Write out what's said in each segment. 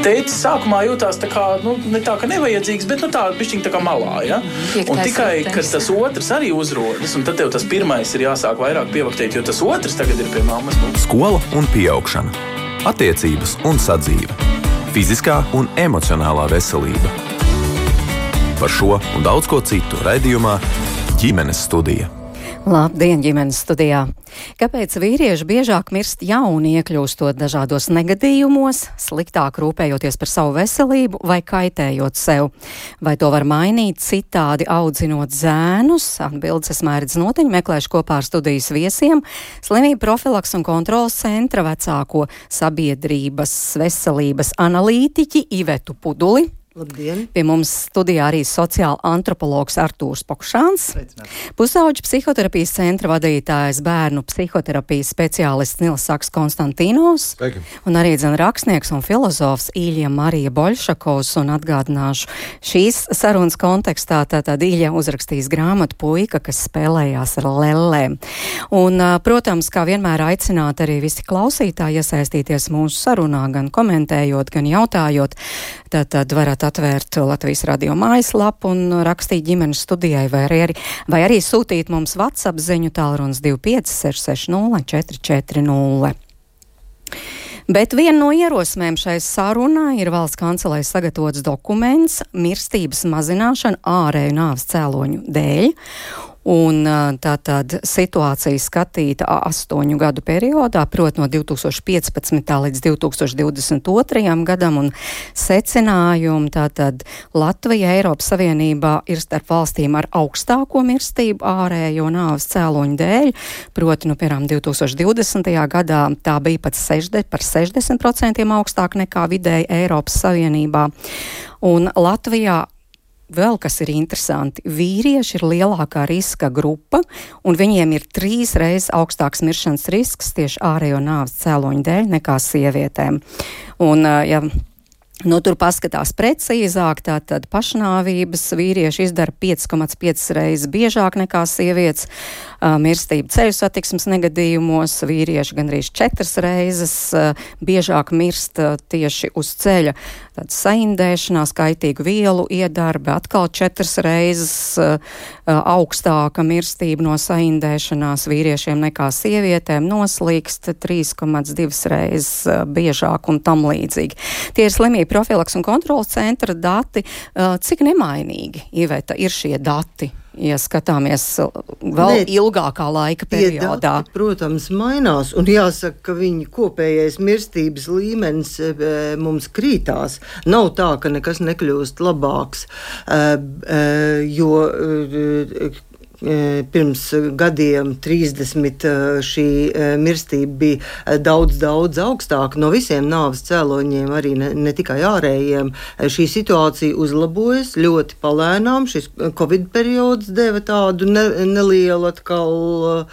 tētis sākumā jūtās tā kā, ne tā, ka nevajadzīgs, bet tā bišķiņ tā kā malā, ja? Un tikai, kad tas otrs arī uzrodas, un tad tev tas pirmais ir jāsāk vairāk pievaktēt, jo tas otrs tagad ir pie mammas. Skola un pieaugšana. Attiecības un sadzīve. Fiziskā un emocionālā veselība. Par šo un daudz ko citu raidījumā Ģimenes studija. Labdien, ģimenes studijā! Kāpēc vīrieši biežāk mirst jauni, iekļūstot dažādos negadījumos, sliktāk rūpējoties par savu veselību vai kaitējot sev? Vai to var mainīt citādi audzinot zēnus? Atbildes Mērķis Notiņa meklēšu kopā ar studijas viesiem Slimību profilaks un kontrolas centra vecāko sabiedrības veselības analītiķi Ivetu Puduli. Labdien. Pie mums studijā arī sociāla antropologs Artūrs Pokšāns, pusauģu psihoterapijas centra vadītājs, bērnu psihoterapijas speciālists Nils Saks Konstantīnos, un arī rakstnieks un filozofs Īļa Marija Boļšakovs, un atgādināšu šīs sarunas kontekstā, tātad Īļa uzrakstījis grāmatu Puika, kas spēlējās ar lellēm. Un, protams, kā vienmēr aicināt arī visi klausītāji iesaistīties mūsu sarunā, gan komentējot, gan jautājot, tad varat atvērt Latvijas radio mājaslapu un rakstīt ģimenes studijai, vai arī sūtīt mums WhatsApp ziņu tālrunis 25 660 440. Bet viena no ierosmēm šai sarunā ir valsts kancelēs sagatavots dokuments mirstības mazināšana ārēju nāves cēloņu dēļ. Un tātad situācija skatīta 8 gadu periodā, proti no 2015. līdz 2022. gadam, un secinājumi tātad Latvija Eiropas Savienībā ir starp valstīm ar augstāko mirstību ārējo nāves cēloņu dēļ, proti, piemēram, 2020. gadā tā bija pat par 60% augstāk nekā vidēji Eiropas Savienībā. Un Latvijā vēl kas ir interesanti, vīrieši ir lielākā riska grupa, un viņiem ir 3 reizes augstāks miršanas risks tieši ārējo nāves cēloņu dēļ nekā sievietēm. Un, ja tur paskatās precīzāk, tātad pašnāvības vīrieši izdara 5,5 reizes biežāk nekā sievietes, mirstība ceļu satiksmes negadījumos, vīrieši gandrīz 4 reizes biežāk mirst tieši uz ceļa, tad saindēšanās, kaitīgu vielu iedarbe, atkal 4 reizes augstāka mirstība no saindēšanās vīriešiem nekā sievietēm, noslīkst 3,2 reizes biežāk un tam līdzīgi. Tie ir Slimību profilaks un kontrolas centra dati. Cik nemainīgi, Iveta, ir šie dati, ja skatāmies vēl ilgākā laika periodā? Dati, protams, mainās, un jāsaka, ka viņa kopējais mirstības līmenis mums krītās. Nav tā, ka nekas nekļūst labāks, jo pirms gadiem 30 šī mirstība bija daudz augstāka no visiem nāves cēloņiem, arī ne tikai ārējiem. Šī situācija uzlabojas ļoti palēnām. Šis Covid periods deva tādu nelielu atkal,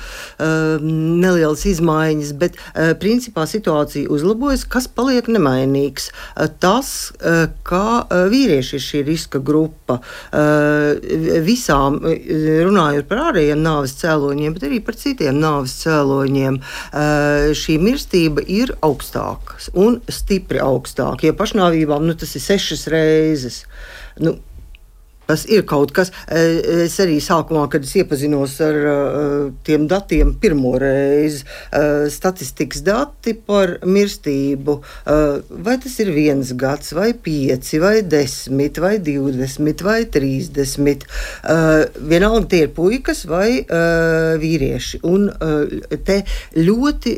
nelielas izmaiņas, bet principā situācija uzlabojas, kas paliek nemainīgs. Tas, kā vīrieši ir šī riska grupa, visām runājot par ārējiem nāves cēloņiem, bet arī par citiem nāves cēloņiem. Šī mirstība ir augstāka un stipri augstāka. Ja pašnāvībām tas ir 6 reizes. Tas ir kaut kas. Es arī sākumā, kad es iepazinos ar tiem datiem pirmo reizi, statistikas dati par mirstību, vai tas ir 1 gads, vai 5, vai 10, vai 20, vai 30. Vienalga tie ir puikas vai vīrieši. Un te ļoti,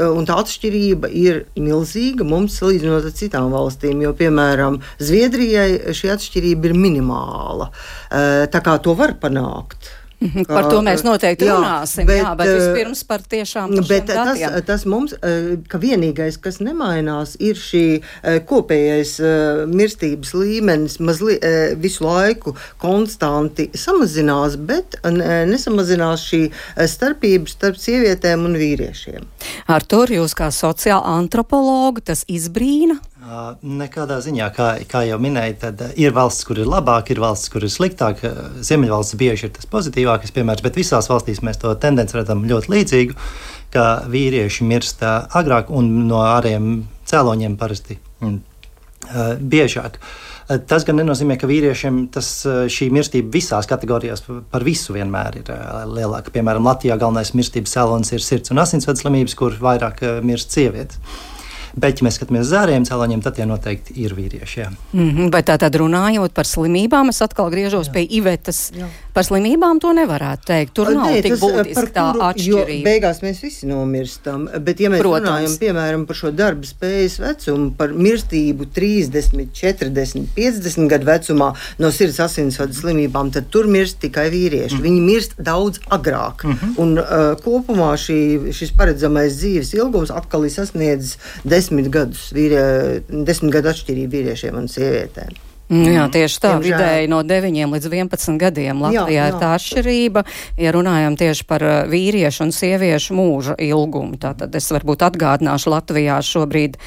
un tā atšķirība ir milzīga mums salīdzinot ar citām valstīm, jo, piemēram, Zviedrijai šī atšķirība ir minimāla. Tā kā to var panākt. Par to mēs noteikti runāsim, bet vispirms par tiešām šiem datiem. Tas mums, ka vienīgais, kas nemainās, ir šī kopējais mirstības līmenis visu laiku konstanti samazinās, bet nesamazinās šī starpības starp sievietēm un vīriešiem. Artur, jūs kā sociāla antropologa, tas izbrīna? Nekādā ziņā, kā jau minēju, tad ir valsts, kur ir labāk, ir valsts, kur ir sliktāk. Ziemeļvalsts bieži ir tas pozitīvākais piemērs, bet visās valstīs mēs to tendenci redzam ļoti līdzīgu, ka vīrieši mirst agrāk un no ārējiem cēloņiem parasti biežāk. Tas gan nenozīmē, ka vīriešiem šī mirstība visās kategorijās par visu vienmēr ir lielāka. Piemēram, Latvijā galvenais mirstības cēlonis ir sirds- un asinsvadu slimības, kur vairāk mirst sievietes. Bet, ja mēs skatāmies uz ārējiem cēloņiem, tad tie noteikti ir vīrieši. Bet tātad runājot par slimībām, es atkal griežos pie Ivetas. Par slimībām to nevarētu teikt. Tur nav tik būtiski tā atšķirība. Jo beigās mēs visi nomirstam. Bet, ja mēs runājam, piemēram, par šo darba spējas vecumu, par mirstību 30, 40, 50 gadu vecumā no sirds asinsvadu slimībām, tad tur mirst tikai vīrieši. Viņi mirst daudz agrāk. Un kopumā šis paredzamais dzīves ilgums atkal ir sasniedzis 10 gadu atšķirību vīriešiem un sievietēm. Jā, tieši tā, vidēji no 9 līdz 11 gadiem Latvijā ir tā atšķirība, ja runājam tieši par vīriešu un sieviešu mūža ilgumu. Tātad es varbūt atgādināšu, Latvijā šobrīd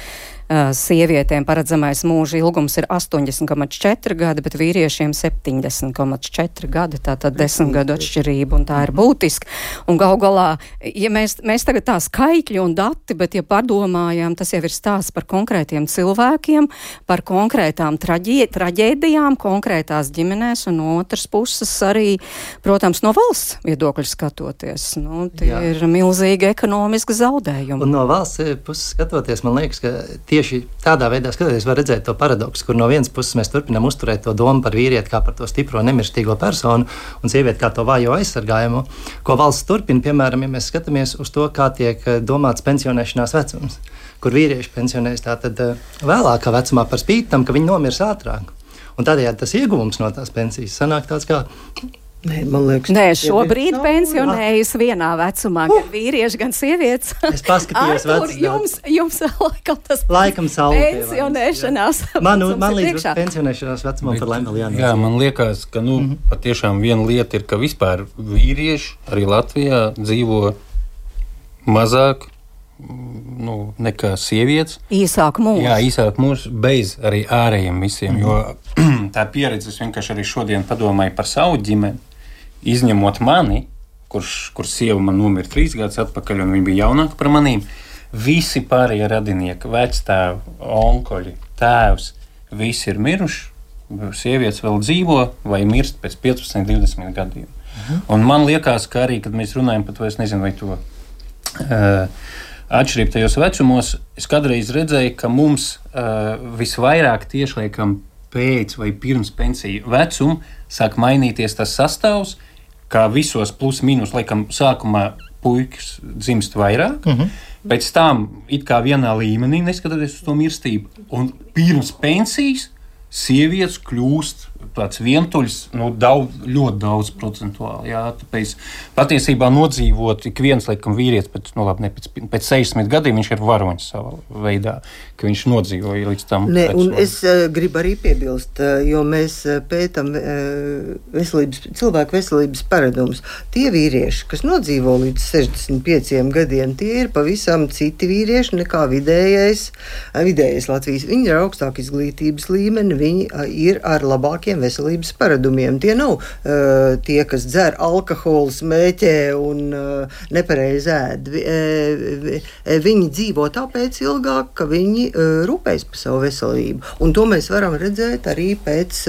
sievietēm paredzamais mūža ilgums ir 80,4 gadi, bet vīriešiem 70,4 gadi, tātad 10 gadu atšķirība, un tā ir būtiska. Un gal galā, ja mēs tagad tā skaitļi un dati, bet ja padomājām, tas jau ir stāsts par konkrētiem cilvēkiem, par konkrētām traģēdijām, konkrētās ģimenēs, un no otras puses arī, protams, no valsts viedokļa skatoties. Tie ir milzīgi ekonomiski zaudējumi. Un no valsts puses skatoties, man liekas, ka tieši tādā veidā skatoties var redzēt to paradoksu, kur no vienas puses mēs turpinām uzturēt to domu par vīrieti kā par to stipro nemirstīgo personu un sievieti kā to vājo aizsargājumu, ko valsts turpina, piemēram, ja mēs skatāmies uz to, kā tiek domāts pensionēšanās vecums, kur vīrieši pensionējas tātad vēlākā vecumā par spīti tam, ka viņi nomirs ātrāk. Un tādējādi tas ieguvums no tās pensijas sanāk tāds kā... Nē, šobrīd pensionējas vienā vecumā, gan vīrieši, gan sievietes. Es paskatījos vecus. Jums tas laikam pensionēšanās man līdz pensionēšanās vecumam par laimi vēl jānāk. Jā, man liekas, ka patiešām viena lieta ir, ka vispār vīrieši arī Latvijā dzīvo mazāk nekā sievietes. Īsāk mūžs. Jā, īsāk mūžs bez arī ārējiem visiem, jo tā pieredze, es vienkārši arī šodien padomāju par savu ģimeni, izņemot mani, kur sieva man nomira 3 gadus atpakaļ, un viņa bija jaunāka par manīm, visi pārējie radinieki, vectēvi, onkoļi, tēvs, visi ir miruši, sievietes vēl dzīvo vai mirst pēc 15, 20 gadiem. Un man liekas, ka arī, kad mēs runājam par to, es nezinu, vai to atšķirību tajos vecumos, es kādreiz redzēju, ka mums visvairāk tiešliekam pēc vai pirms pensiju vecuma sāk mainīties tas sastāvs, kā visos plus mīnus, laikam, sākumā puikas dzimst vairāk, pēc tam it kā vienā līmenī, neskatoties uz to mirstību, un pirms pensijas sievietes kļūst tāds vientuļs, ļoti daudz procentuāli. Jā, tāpēc patiesībā nodzīvot ik viens, laikam, vīrietis pēc 60 gadiem viņš ir varonis savā veidā, ka viņš nodzīvoja līdz tam. Un es gribu arī piebilst, jo mēs pētam cilvēku veselības paradumus. Tie vīrieši, kas nodzīvo līdz 65 gadiem, tie ir pavisam citi vīrieši nekā vidējais Latvijas. Viņi ir augstāk izglītības līmeni, viņi ir ar labākiem veselības paradumiem. Tie nav tie, kas dzer alkoholu, smēķē un nepareizi ēd. Viņi dzīvo tāpēc ilgāk, ka viņi rūpējas par savu veselību. Un to mēs varam redzēt arī pēc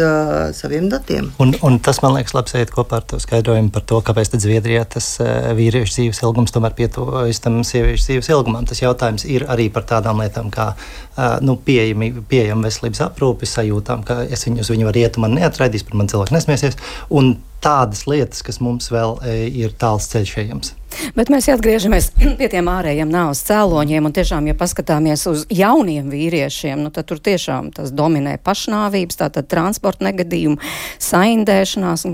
saviem datiem. Un tas, man liekas, labs iet kopā ar to skaidrojumu par to, kāpēc tad Zviedrijā tas vīriešu dzīves ilgums tomēr pietuvojas tam sieviešu dzīves ilgumam. Tas jautājums ir arī par tādām lietām kā pieejama veselības aprūpe, sajūtām, ka es uz viņu varu iet un man neatraidīs, par man cilvēku nesmiesies, un tādas lietas, kas mums vēl ir tāls ceļš ejams. Bet mēs atgriežamies pie tiem ārējiem nāves cēloņiem, un tiešām, ja paskatāmies uz jauniem vīriešiem, tad tur tiešām tas dominē pašnāvības, tātad transporta negadījumi, saindēšanās,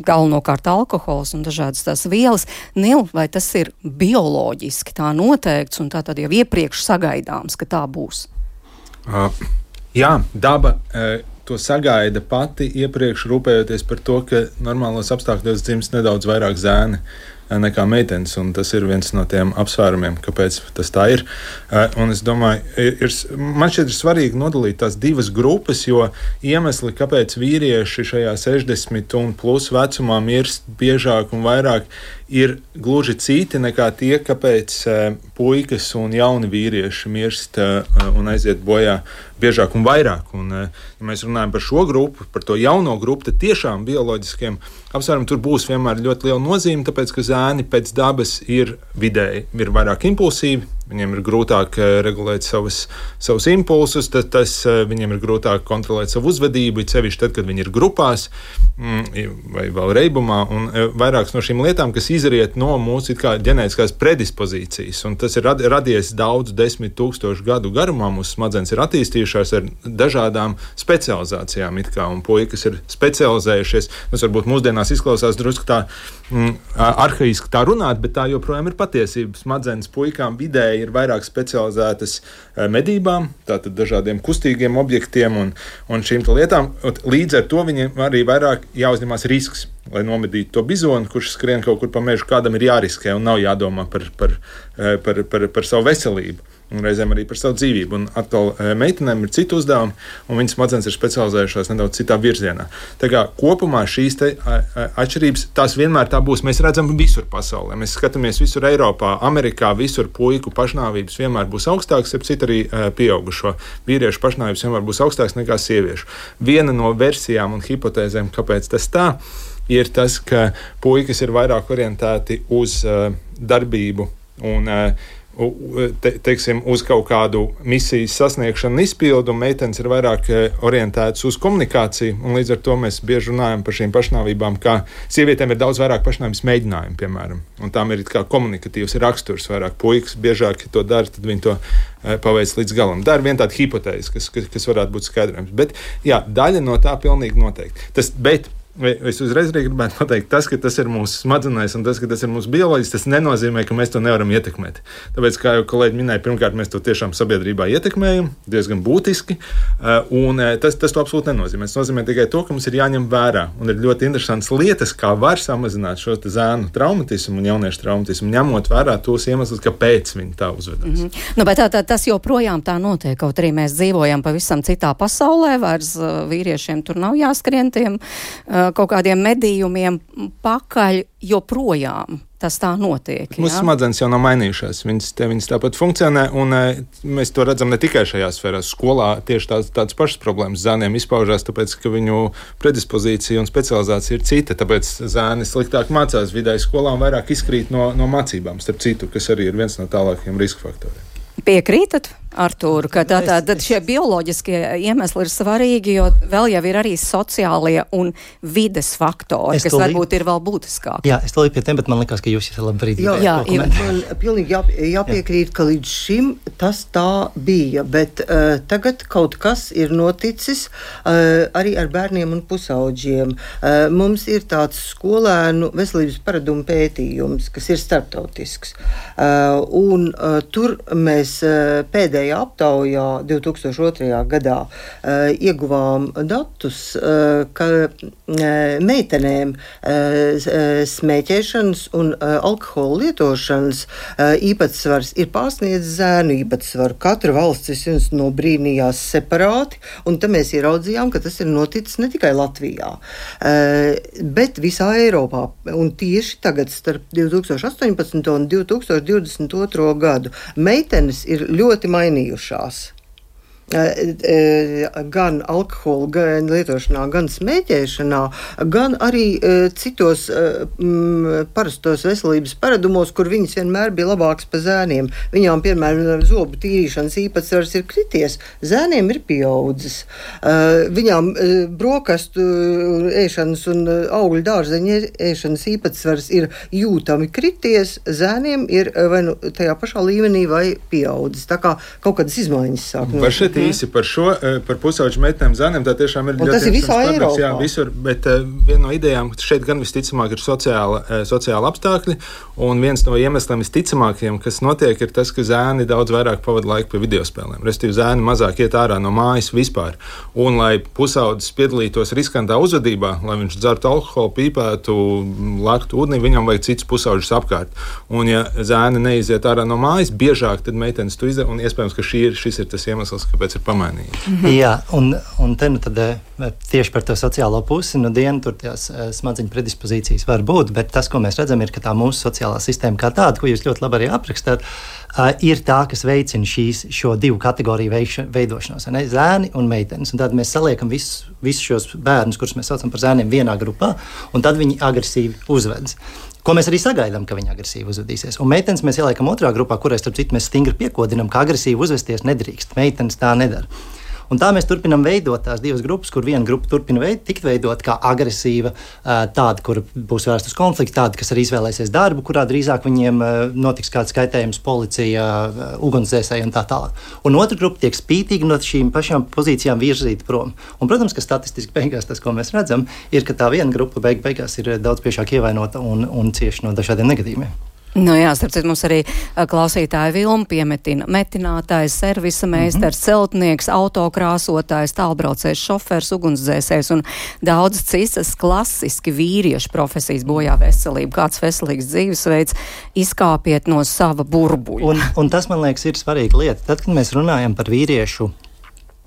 galvenokārt alkohols un dažādas tās vielas. Nil, vai tas ir bioloģiski tā noteikts, un tā tad jau iepriekš sagaidāms, ka tā būs? Jā, daba to sagaida pati iepriekš, rūpējoties par to, ka normālos apstākļos dzimst nedaudz vairāk zēni. nekā meitenes, un tas ir viens no tiem apsvērumiem, kāpēc tas tā ir. Un es domāju, man šķiet ir svarīgi nodalīt tās divas grupas, jo iemesli, kāpēc vīrieši šajā 60 un plus vecumā mirst biežāk un vairāk, ir gluži citi nekā tie, kāpēc puikas un jauni vīrieši mirst un aiziet bojā biežāk un vairāk. Un, ja mēs runājam par šo grupu, par to jauno grupu, tad tiešām bioloģiskiem apsvērumiem tur būs vienmēr ļoti liela nozīme, tāpēc, ka zēni pēc dabas ir vidēji, ir vairāk impulsīvi, viņiem ir grūtāk regulēt savus impulsus, tas viņiem ir grūtāk kontrolēt savu uzvedību, sevišķi tad, kad viņi ir grupās vai vēl reibumā, un vairākas no šīm lietām, kas izriet no mūsu ģenētiskās predispozīcijas, un tas ir radies daudz 10 000 gadu garumā, mūsu smadzenes ir attīstījušās ar dažādām specializācijām, un puikas ir specializējušies, tas varbūt mūsdienās izklausās drusku tā arhaiski tā runāt, bet tā joprojām ir patiesība. Smadzenes puikām vidēji ir vairāk specializētas medībām, tātad dažādiem kustīgiem objektiem un šīm lietām. Līdz ar to viņiem arī vairāk jāuzņemās risks, lai nomedītu to bizonu, kurš skrien kaut kur pa mežu, kādam ir jāriskē un nav jādomā par savu veselību. Un reizēm arī par savu dzīvību. Un atkal meitenēm ir citi uzdevumi, un viņas smadzenes ir specializējušās nedaudz citā virzienā. Tā kā kopumā šīs atšķirības, tās vienmēr tā būs. Mēs redzam visur pasaulē. Mēs skatāmies visur Eiropā, Amerikā, visur puiku pašnāvības vienmēr būs augstākas, ap citu arī pieaugušo vīriešu pašnāvības vienmēr būs augstākas nekā sieviešu. Viena no versijām un hipotēzēm, kāpēc tas tā, ir tas, ka puikas ir vairāk orientēti uz darbību un teiksim, uz kaut kādu misijas sasniegšanu un izpildu, un meitenes ir vairāk orientētas uz komunikāciju, un līdz ar to mēs bieži runājam par šīm pašnāvībām, kā sievietēm ir daudz vairāk pašnāvības mēģinājumu, piemēram, un tām ir kā komunikatīvs raksturs vairāk. Puikas biežāk, ja to dara, tad viņi to paveic līdz galam. Tā ir viena tāda hipotēze, kas varētu būt skaidrojums, bet jā, daļa no tā pilnīgi noteikti. Es uzreiz arī gribētu pateikt, tas, ka tas ir mūsu smadzenēs un tas, ka tas ir mūsu bioloģis, tas nenozīmē, ka mēs to nevaram ietekmēt. Tāpēc, kā jau kolēģi minēja, pirmkārt, mēs to tiešām sabiedrībā ietekmējam, diezgan būtiski, un tas to absolūti nenozīmē. Tas nozīmē tikai to, ka mums ir jāņem vērā, un ir ļoti interesants lietas, kā var samazināt šo zēnu traumatismu un jauniešu traumatismu, ņemot vērā tos iemeslus, kāpēc viņi tā uzvedās. Nu, bet tas joprojām tā notiek, kaut arī mēs dzīvojam pavisam citā pasaulē, vairs vīriešiem tur nav jāskrien tiem kaut kādiem medījumiem pakaļ, joprojām tas tā notiek. Mūsu smadzenes jau nav mainījušās, viņas tāpat funkcionē, un mēs to redzam ne tikai šajā sfērā. Skolā tieši tādas pašas problēmas zēniem izpaužās, tāpēc, ka viņu predispozīcija un specializācija ir cita, tāpēc zēni sliktāk mācās vidēji skolā un vairāk izkrīt no mācībām, starp citu, kas arī ir viens no tālākajiem riska faktoriem. Piekrītat, Artūru, ka tātad šie bioloģiskie iemesli ir svarīgi, jo vēl jau ir arī sociālie un vides faktori, kas varbūt ir vēl būtiskāki. Jā, es tolīju pie tiem, bet man likās, ka jūs esat labi brīdī. Jā, man pilnīgi jāpiekrīt, ka līdz šim tas tā bija, bet tagad kaut kas ir noticis arī ar bērniem un pusauģiem. Mums ir tāds skolēnu veselības paradumu pētījums, kas ir starptautisks. Un tur mēs pēdējā aptaujā 2002. gadā ieguvām datus, ka meitenēm smēķēšanas un alkohola lietošanas īpatsvars ir pārsniedzis zēnu īpatsvaru. Katra valsts nobrīnījās separāti, un tam mēs ieraudzījām, ka tas ir noticis ne tikai Latvijā, bet visā Eiropā. Un tieši tagad starp 2018. un 2022. gadu meitenes ir ļoti mainījušās. Gan alkohola lietošanā, gan smēķēšanā, gan arī citos parastos veselības paradumos, kur viņas vienmēr bija labākas par zēniem. Viņām, piemēram, zobu tīrīšanas īpatsvars ir krities, zēniem ir pieaudzis. Viņām brokastu ēšanas un augļu dārzeņu ēšanas īpatsvars ir jūtami krities, zēniem ir vai nu tajā pašā līmenī vai pieaudzis. Tā kā kaut kādas izmaiņas sāk. Var šeit Bet īsi par šo, par pusauģu meitenēm zēniem, tā tiešām ir ļoti interesants problēmas. Jā, visur, bet viena no idejām šeit gan visticamāk ir sociāli apstākļi, un viens no iemesliem visticamākajiem, kas notiek, ir tas, ka zēni daudz vairāk pavada laiku pie videospēlēm. Respektīvi, zēni mazāk iet ārā no mājas vispār. Un, lai pusaudzis piedalītos riskantā uzvedībā, lai viņš dzertu alkoholu, pīpētu, laktu ūdenī, viņam vajag cits pusauģis apkārt. Un, ja zēni neiziet ārā no mājas, biežāk tad meitenes to izdara, un iespējams, ka šis ir tas iemesls, kāpēc ir pamainījies. Jā, un te nu tad tieši par to sociālo pusi, tur tās smadzeņu predispozīcijas var būt, bet tas, ko mēs redzam, ir, ka tā mūsu sociālā sistēma kā tāda, ko jūs ļoti labi arī aprakstāt, ir tā, kas veicina šo divu kategoriju veidošanos, zēni un meitenes. Un tad mēs saliekam visus šos bērnus, kurus mēs saucam par zēniem, vienā grupā, un tad viņi agresīvi uzvedas. Ko mēs arī sagaidām, ka viņi agresīvi uzvedīsies. Un meitenes mēs ieliekam otrā grupā, kurai starp citu mēs stingri piekodinām, ka agresīvi uzvesties nedrīkst. Meitenes tā nedara. Un tā mēs turpinām veidot tās divas grupas, kur viena grupa turpina tikt veidot kā agresīva, tāda, kur būs vērsta uz konfliktu, tāda, kas arī izvēlēsies darbu, kurā drīzāk viņiem notiks kāds kaitējums, policija, ugunsdzēsēji un tā tālāk. Un otra grupa tiek spītīgi no šīm pašām pozīcijām virzīta prom. Un, protams, ka statistiski beigās tas, ko mēs redzam, ir, ka tā viena grupa beigās ir daudz biežāk ievainota un cieši no dažādiem negadījumiem. Nu jā, starp citu, mums arī klausītāja Vilma piemetina metinātājs, servisa meistars, celtnieks, autokrāsotājs, tālbraucējs, šofers, ugunsdzēsējs un daudz citas klasiski vīriešu profesijas bojā veselību. Kāds veselīgs dzīvesveids, izkāpiet no sava burbuļa. Un tas, man liekas, ir svarīga lieta. Tad, kad mēs runājam par vīriešu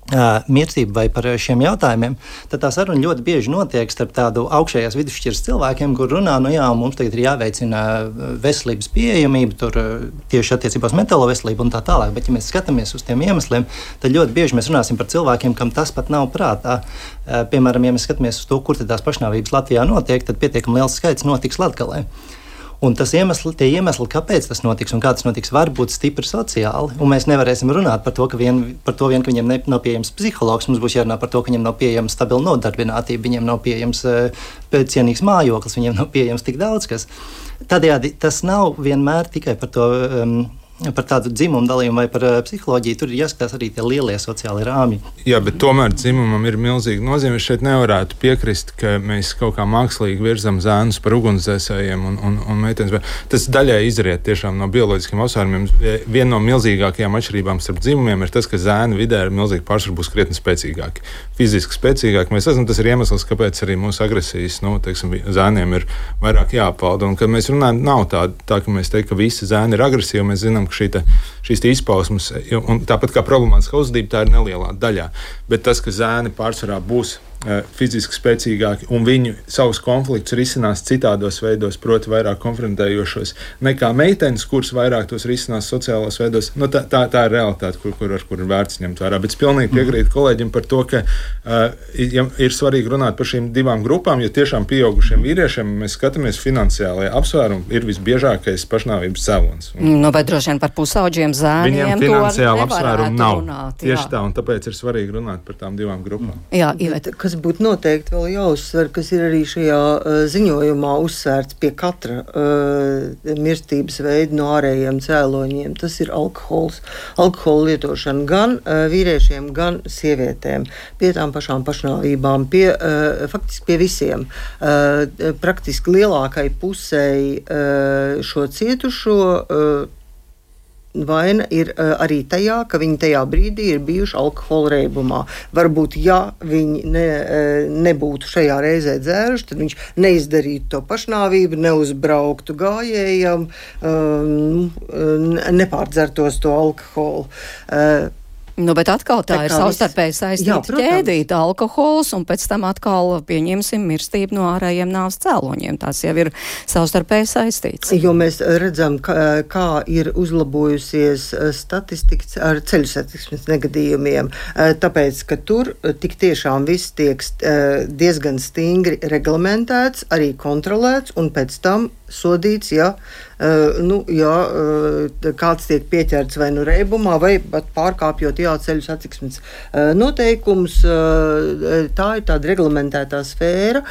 mirstību vai par šiem jautājumiem, tad tā saruna ļoti bieži notiek starp tādu augšējās vidusšķiras cilvēkiem, kur runā, mums tagad ir jāveicina veselības pieejamība, tur tieši attiecībā uz mentālo veselību un tā tālāk. Bet, ja mēs skatāmies uz tiem iemesliem, tad ļoti bieži mēs runāsim par cilvēkiem, kam tas pat nav prātā. Piemēram, ja mēs skatāmies uz to, kur tad tās pašnāvības Latvijā notiek, tad pietiekami liels skaits notiks Latgalē. Un tie iemesli, kāpēc tas notiks un kā tas notiks, var būt stipri sociāli. Un mēs nevarēsim runāt par to, ka viņiem nav pieejams psihologs. Mums būs jārunā par to, ka viņiem nav pieejams stabila nodarbinātība, viņiem nav pieejams cienīgs mājoklis, viņiem nav pieejams tik daudz kas. Tādējādi tas nav vienmēr tikai par to. Par tādu dzimumu dalījumu vai par psiholoģiju, tur ir jāskatās arī tie lielie sociālie rāmji. Jā, bet tomēr dzimumam ir milzīga nozīme. Es šeit nevarētu piekrist, ka mēs kaut kā mākslīgi virzam zēnus par ugunsdzēsējiem un meitenes. Tas daļai izriet tiešām no bioloģiskiem apsvērumiem. Viena no milzīgākajām atšķirībām starp dzimumiem ir tas, ka zēni vidē ir milzīgi pārsvaru būs krietni spēcīgāki. Fiziski spēcīgāki mēs esam, tas ir iemesls, kāpēc arī mūsu agresijas, zēniem ir vairāk jāpalda. Un kad mēs runājam, nav tā, ka mēs teiktu, ka visi zēni ir agresīvi, mēs zinām, ka šīs izpausmes, un tāpat kā problemātiskā uzvedība, tā ir nelielā daļā. Bet tas, ka zēni pārsvarā būs fiziski spēcīgāki un viņi savus konfliktus risinās citādos veidos, proti vairāk konfrontējošos, nekā meitenes, kuras vairāk tos risinās sociālos veidos. Tā ir realitāte, kur ir vērts ņemt vērā. Bet es pilnīgi piekrītu kolēģim par to, ka ir svarīgi runāt par šīm divām grupām, jo tiešām pieaugušiem vīriešiem mēs skatāmies finansiālajā apsvērumā ir visbiežākais pašnāvības cēlonis. Bet droši vien par pusauģiem zēniem viņiem finansiāli apsvērumi nav. Runāt, tieši tā, un tāpēc ir svarīgi runāt par tām divām grupām. Jā, Iveta. Kas būtu noteikti vēl jāuzsver, kas ir arī šajā ziņojumā uzsvērts pie katra mirstības veida no ārējiem cēloņiem, tas ir alkohols. Alkohola lietošana gan vīriešiem, gan sievietēm. Pie tām pašām pašnāvībām, faktiski pie visiem. Praktiski lielākai pusei šo cietušo vaina ir arī tajā, ka viņi tajā brīdī ir bijuši alkohola reibumā. Varbūt, ja viņi nebūtu šajā reizē dzēruši, tad viņš neizdarītu to pašnāvību, neuzbrauktu gājējam, nepārdzertos to alkoholu. Bet atkal tā ir savstarpēji saistīta ķēdīta alkohols, un pēc tam atkal pieņemsim mirstību no ārējiem nāves cēloņiem. Tas jau ir savstarpēji saistīts. Jo mēs redzam, kā ir uzlabojusies statistika ar ceļu satiksmes negadījumiem, tāpēc, ka tur tik tiešām viss tiek diezgan stingri reglamentēts, arī kontrolēts, un pēc tam sodīts, ja kāds tiek pieķerts vai reibumā, vai pat pārkāpjot ceļu satiksmes noteikumus. Tā ir tāda reglamentētā sfēra,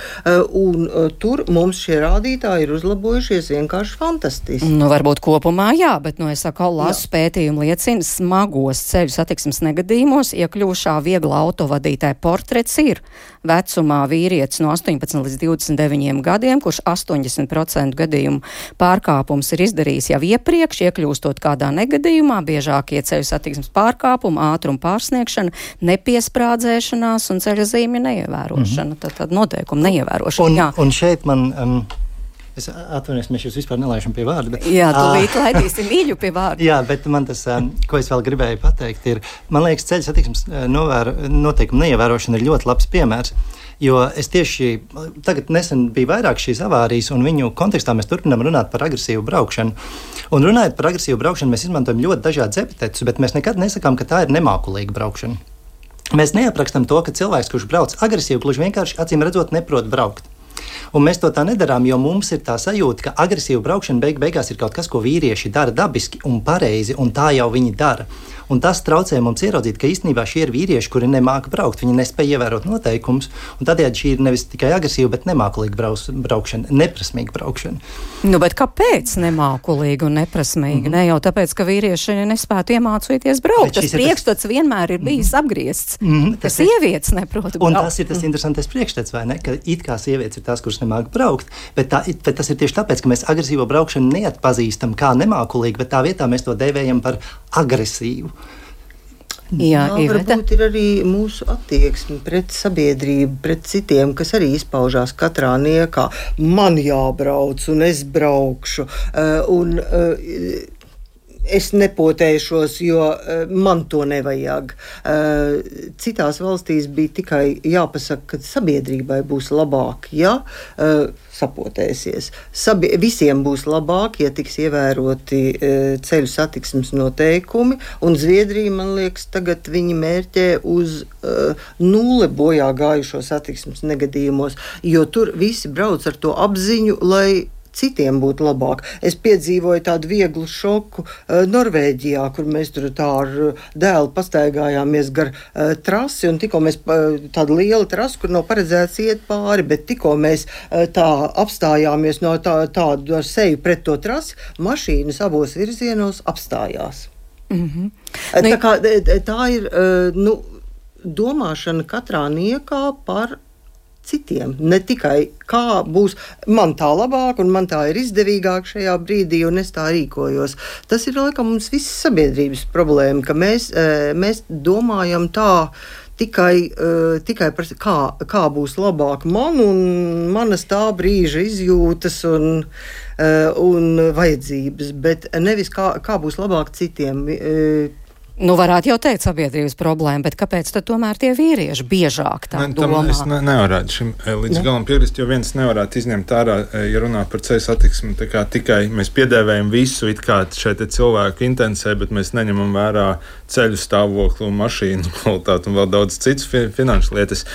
un tur mums šie rādītāji ir uzlabojušies vienkārši fantastiski. Varbūt kopumā jā, bet, es saku, lasu pētījumu liecina, smagos ceļu satiksmes negadījumos iekļūšā viegla autovadītāja portrets ir vecumā vīrietis no 18 līdz 29 gadiem, kurš 80% gadījumu pārkāpums ir izdarījis jau iepriekš, iekļūstot kādā negadījumā, biežākie ceļu satiksmes pārkāpumi, ātruma pārsniegšana, nepiesprādzēšanās un ceļa zīmju neievērošana, tad noteikumu neievērošana. Un šeit man... Es atvainojos, mēs jūs vispār nelaišam pie vārda. Bet, jā, tūlīt laidīsim Iļu pie vārda. Jā, bet man tas, ko es vēl gribēju pateikt, ir, man liekas, ceļu satiksmes noteikumu neievērošana ir ļoti labs piemērs. Jo es tieši tagad nesen biju vairāk šīs avārijas, un viņu kontekstā mēs turpinām runāt par agresīvu braukšanu. Un runājot par agresīvu braukšanu, mēs izmantojam ļoti dažādas epitetus, bet mēs nekad nesakām, ka tā ir nemākulīga braukšana. Mēs neaprakstam to, ka cilvēks, kurš brauc agresīvi, gluži vienkārši acīm redzot neprot braukt. Un mēs to tā nedarām, jo mums ir tā sajūta, ka agresīva braukšana beigās ir kaut kas, ko vīrieši dara dabiski un pareizi, un tā jau viņi dara. Un tas traucē mums ieraudzīt, ka īstenībā šie ir vīrieši, kuri nemāka braukt, viņi nespēja ievērot noteikumus, un tādējādi šī ir nevis tikai agresīva, bet nemākulīga braukšana, neprasmīga braukšana. Bet kāpēc nemākulīga un neprasmīga? Ne jau tāpēc, ka vīrieši nespētu iemācīties braukt. Tas priekšstats vienmēr ir bijis apgriezts, ka sievietes neprot braukt. Un tas ir tas interesantais priekšstats, vai ne? Ka it kā sievietes ir tās, kuras nemāk braukt, bet tas ir tieši tāpēc, ka mēs agresīvo braukšanu neatpazīstam kā nemākulīgu, bet tā vietā mēs to dēvējam par agresīvu. Jā, varbūt ir arī mūsu attieksme pret sabiedrību, pret citiem, kas arī izpaužās katrā niekā. Man jābrauc un es braukšu. Es nepotēšos, jo man to nevajag. Citās valstīs bija tikai jāpasaka, ka sabiedrībai būs labāk, ja sapotēsies. Visiem būs labāk, ja tiks ievēroti ceļu satiksmes noteikumi, un Zviedrija, man liekas, tagad viņi mērķē uz nulle bojā gājušo satiksmes negadījumos, jo tur visi brauc ar to apziņu, lai citiem būtu labāk. Es piedzīvoju tādu vieglu šoku Norvēģijā, kur mēs tur tā ar dēlu pastaigājāmies gar trasi, un tikko mēs tāda liela trasa, kur nav paredzēts iet pāri, bet tikko mēs tā apstājāmies no tādu ar seju pret to trasi, mašīnas abos virzienos apstājās. Tā ir domāšana katrā niekā par citiem, ne tikai kā būs man tā labāk un man tā ir izdevīgāk šajā brīdī un es tā rīkojos. Tas ir, laikam, mums visas sabiedrības problēma, ka mēs domājam tā tikai par kā būs labāk man un manas tā brīža izjūtas un vajadzības, bet nevis kā būs labāk citiem. Varētu jau teikt sabiedrības problēma, bet kāpēc tad tomēr tie vīrieši biežāk tā domā? Es nevarētu šim līdz galam piekrist, jo viens nevarētu izņemt ārā, ja runā par ceļu satiksmi, tā kā tikai mēs piedēvējam visu, it kā šeit cilvēku intencē, bet mēs neņemam vērā ceļu stāvokli un mašīnu kvalitāti un vēl daudz citas finanšu lietas.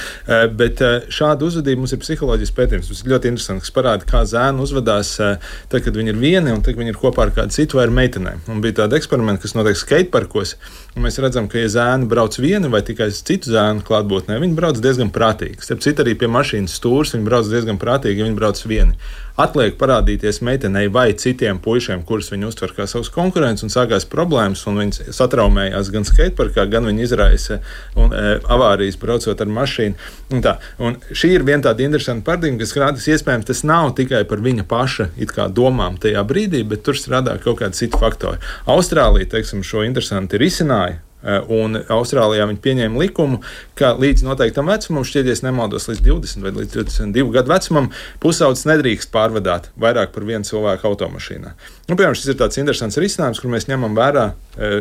Bet šāda uzvedība mums ir psiholoģijas pētījums. Tas ir ļoti interesanti, kas parāda, kā zēni uzvedās tad, kad viņi ir vieni un tad, kad viņi ir kopā ar kādu citu vai ar meitenēm. Un bija tāda eksperimenta, kas notiek skateparkos. Un mēs redzam, ka, ja zēni brauc vieni vai tikai citu zēnu klātbūtnē, viņi brauc diezgan prātīgi. Starp citu, arī pie mašīnas stūres viņi brauc diezgan prātīgi, ja viņi brauc vieni. Atliek parādīties meitenei vai citiem puišiem, kurus viņi uztver kā savus konkurentus, un sākās problēmas, un viņi satraumējās gan skateparkā, gan viņi izraisa avārijas braucot ar mašīnu. Un šī ir viena tāda interesanta paradigma, kas rādas, iespējams, tas nav tikai par viņa paša it kā domām tajā brīdī, bet tur strādā kaut kādi citi faktori. Austrālija, teiksim, šo interesanti risināja. Un Austrālijā viņi pieņēma likumu, ka līdz noteiktam vecumam, šķiet, nemaldos, līdz 20 vai līdz 22 gadu vecumam, pusaudzis nedrīkst pārvadāt vairāk par vienu cilvēku automašīnā. Piemēram, šis ir tāds interesants risinājums, kur mēs ņemam vērā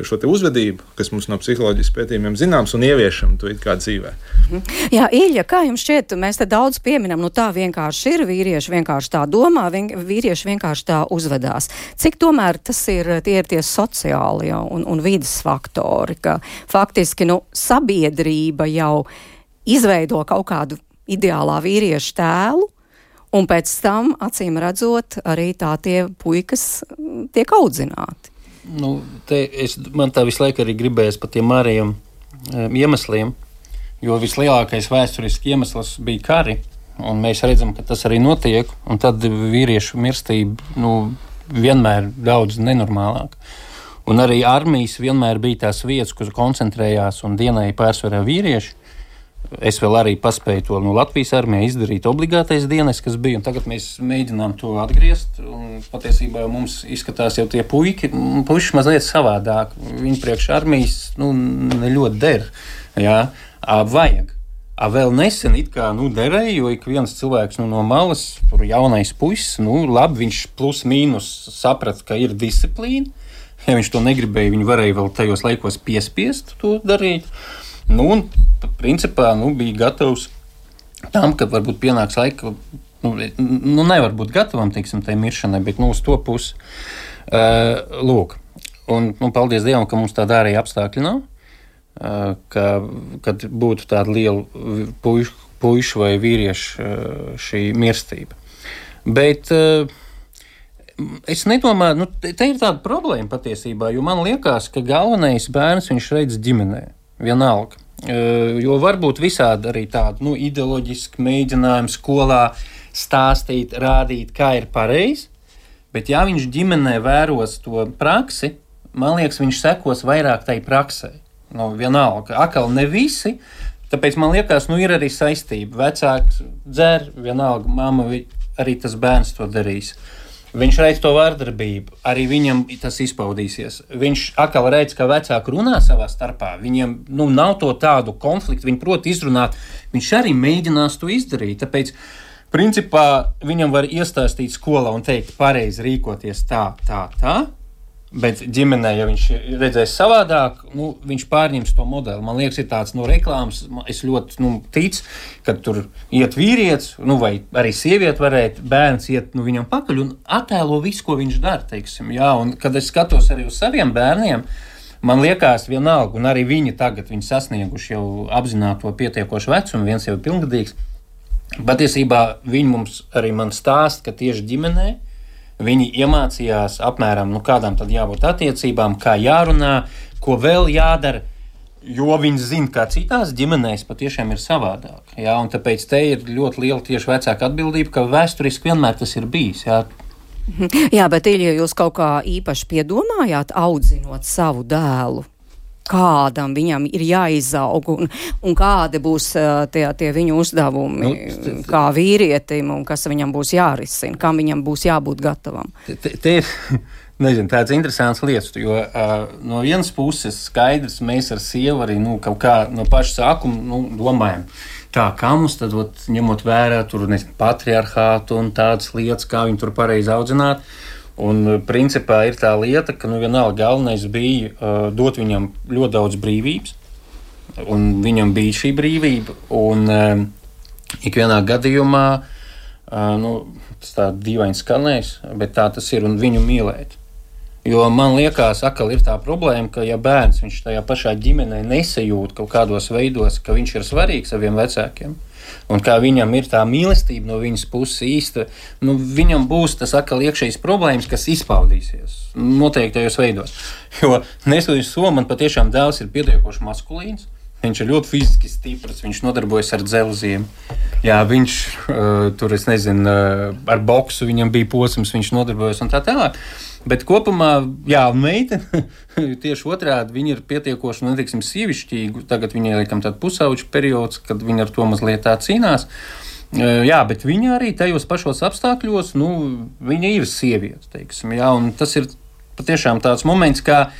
šo te uzvedību, kas mums no psiholoģijas pētījumiem zināms, un ieviešam to it kā dzīvē. Jā, Iļa, kā jums šķiet, mēs te daudz pieminam, tā vienkārši ir, vīrieši vienkārši tā domā, vīrieši vienkārši tā uzvedās. Cik tomēr tie ir tie sociāli un vides faktori, ka faktiski sabiedrība jau izveido kaut kādu ideālā vīriešu tēlu, Un pēc tam, acīm redzot, arī tā tie puikas tiek audzināti. Nu, man tā visu laiku arī gribējās par tiem ārējiem iemesliem, jo vislielākais vēsturiski iemesls bija kari, un mēs redzam, ka tas arī notiek, un tad vīriešu mirstība vienmēr daudz nenormālāk. Un arī armijas vienmēr bija tās vietas, kur koncentrējās un dienēja pārsvarā vīrieši. Es vēl arī paspēju to Latvijas armijā izdarīt obligātais dienas, kas bija, un tagad mēs mēģinām to atgriezt, un patiesībā mums izskatās jau tie puiši mazliet savādāk. Viņi priekš armijas, ne ļoti der, jā, vajag. Vēl nesen it kā derēja, jo ik viens cilvēks no malas, tur jaunais puisis, labi, viņš plus mīnus saprata, ka ir disciplīna. Ja viņš to negribēja, viņi varēja vēl tajos laikos piespiest to darīt. Un principā bija gatavs tam, ka varbūt pienāks laika, nevar būt gatavam, teiksim, tai miršanai, bet uz to pusi. Lūk, un paldies Dievam, ka mums tāda ārēja apstākļi nav, kad būtu tāda liela puišu vai vīriešu šī mirstība. Bet es nedomāju, te ir tāda problēma patiesībā, jo man liekas, ka galvenais bērns viņš redz ģimenē, vienalga. Jo varbūt visādi arī tādu ideoloģisku mēģinājumu skolā stāstīt, rādīt, kā ir pareizi, bet ja viņš ģimenē vēros to praksi, man liekas, viņš sekos vairāk tai praksē. Vienalga, akal ne visi, tāpēc man liekas, ir arī saistība. Vecāks dzer, vienalga, mamma arī tas bērns to darīs. Viņš redz to vārdarbību, arī viņam tas izpaudīsies. Viņš atkal redz, ka vecāki runā savā starpā, viņiem nav to tādu konfliktu, viņi prot izrunāt, viņš arī mēģinās to izdarīt. Tāpēc, principā, viņam var iestāstīt skolā un teikt, pareizi rīkoties tā, bet ģimenē, ja viņš redzēs savādāk, viņš pārņems to modeli. Man liekas, ir tāds reklāmas, es ļoti ticu, ka tur iet vīrietis, vai arī sieviete varētu, bērns iet viņam pakaļ un attēlo visu, ko viņš dara, teiksim. Jā, un kad es skatos arī uz saviem bērniem, man liekas vienalga, un arī viņi tagad, viņi sasnieguši jau apzināto pietiekošu vecumu, viens jau ir pilngadīgs. Patiesībā viņi mums arī man stāst, ka tieši ģimenē viņi iemācījās apmēram, kādām tad jābūt attiecībām, kā jārunā, ko vēl jādara, jo viņi zina, kā citās ģimenēs patiešām ir savādāk. Jā, un tāpēc te ir ļoti liela tieši vecāka atbildība, ka vēsturiski vienmēr tas ir bijis. Jā, bet Ilja, jūs kaut kā īpaši piedomājāt, audzinot savu dēlu? Kādam viņam ir jāizaug un kādi būs tie viņu uzdevumi kā vīrietim un kas viņam būs jārisina, kam viņam būs jābūt gatavam? Te ir, tāds interesants lietas, jo no vienas puses skaidrs, mēs ar sievu arī kaut kā no paša sākuma domājam, kā mums tad ņemot vērā tur patriarchātu un tādas lietas, kā viņu tur pareizi audzināt. Un principā ir tā lieta, ka vienalga galvenais bija dot viņam ļoti daudz brīvības, un viņam bija šī brīvība, un ikvienā gadījumā, tas tā dīvaini skanēs, bet tā tas ir, un viņu mīlēt. Jo man liekas, atkal ir tā problēma, ka ja bērns viņš tajā pašā ģimenē nesajūt kaut kādos veidos, ka viņš ir svarīgs saviem vecākiem, un kā viņam ir tā mīlestība no viņas puses īsta, viņam būs tas atkal iekšējs problēmas, kas izpaudīsies noteiktajos veidos. Jo neskatoties to, man patiešām dēls ir pietiekoši maskulīns, viņš ir ļoti fiziski stiprs, viņš nodarbojas ar dzelziem. Jā, viņš tur, es nezinu, ar boksu viņam bija posms, viņš nodarbojas un tā tālāk. Bet kopumā, jā, meitene tieši otrādi, viņa ir pietiekoši, neteiksim, sievišķīga. Tagad viņai laikam tāda pusauģa periods, kad viņa ar to mazliet tā cīnās. Jā, bet viņa arī tajos pašos apstākļos, viņa ir sieviete, teiksim, jā, un tas ir patiešām tāds moments, kā,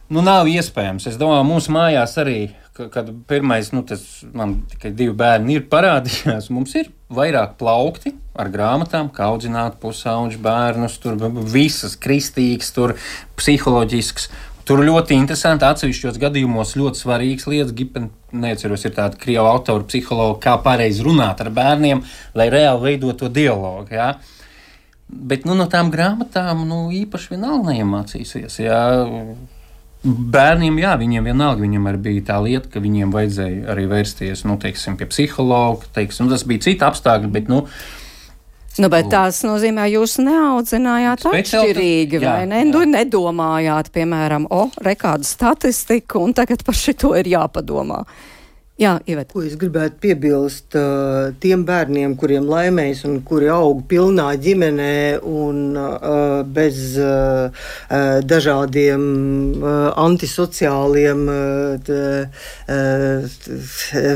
nav iespējams. Es domāju, mūsu mājās arī, kad pirmais, man tikai 2 bērni ir parādījās, mums ir vairāk plaukti ar grāmatām, kā audzināt pusauģu bērnus, tur visas kristīgas, tur psiholoģisks. Tur ļoti interesanti, atsevišķos gadījumos ļoti svarīgas lietas. Neatceros, ir tāda krievu autora psihologa, kā pareizi runāt ar bērniem, lai reāli veidot to dialogu. Jā. Bet no tām grāmatām īpaši vienalga neiemācīsies. Jā. Bērniem, jā, viņiem vienalga, viņiem arī bija tā lieta, ka viņiem vajadzēja arī vērsties, teiksim, pie psihologa, teiksim, tas bija cita apstākļi, bet, Bet tās nozīmē, jūs neaudzinājāt atšķirīgi, vai ne? Nedomājāt, piemēram, rekādu statistiku, un tagad par šito ir jāpadomā. Jā, Iveta. Ko es gribētu piebilst tiem bērniem, kuriem laimējas un kuri aug pilnā ģimenē un bez dažādiem antisociāliem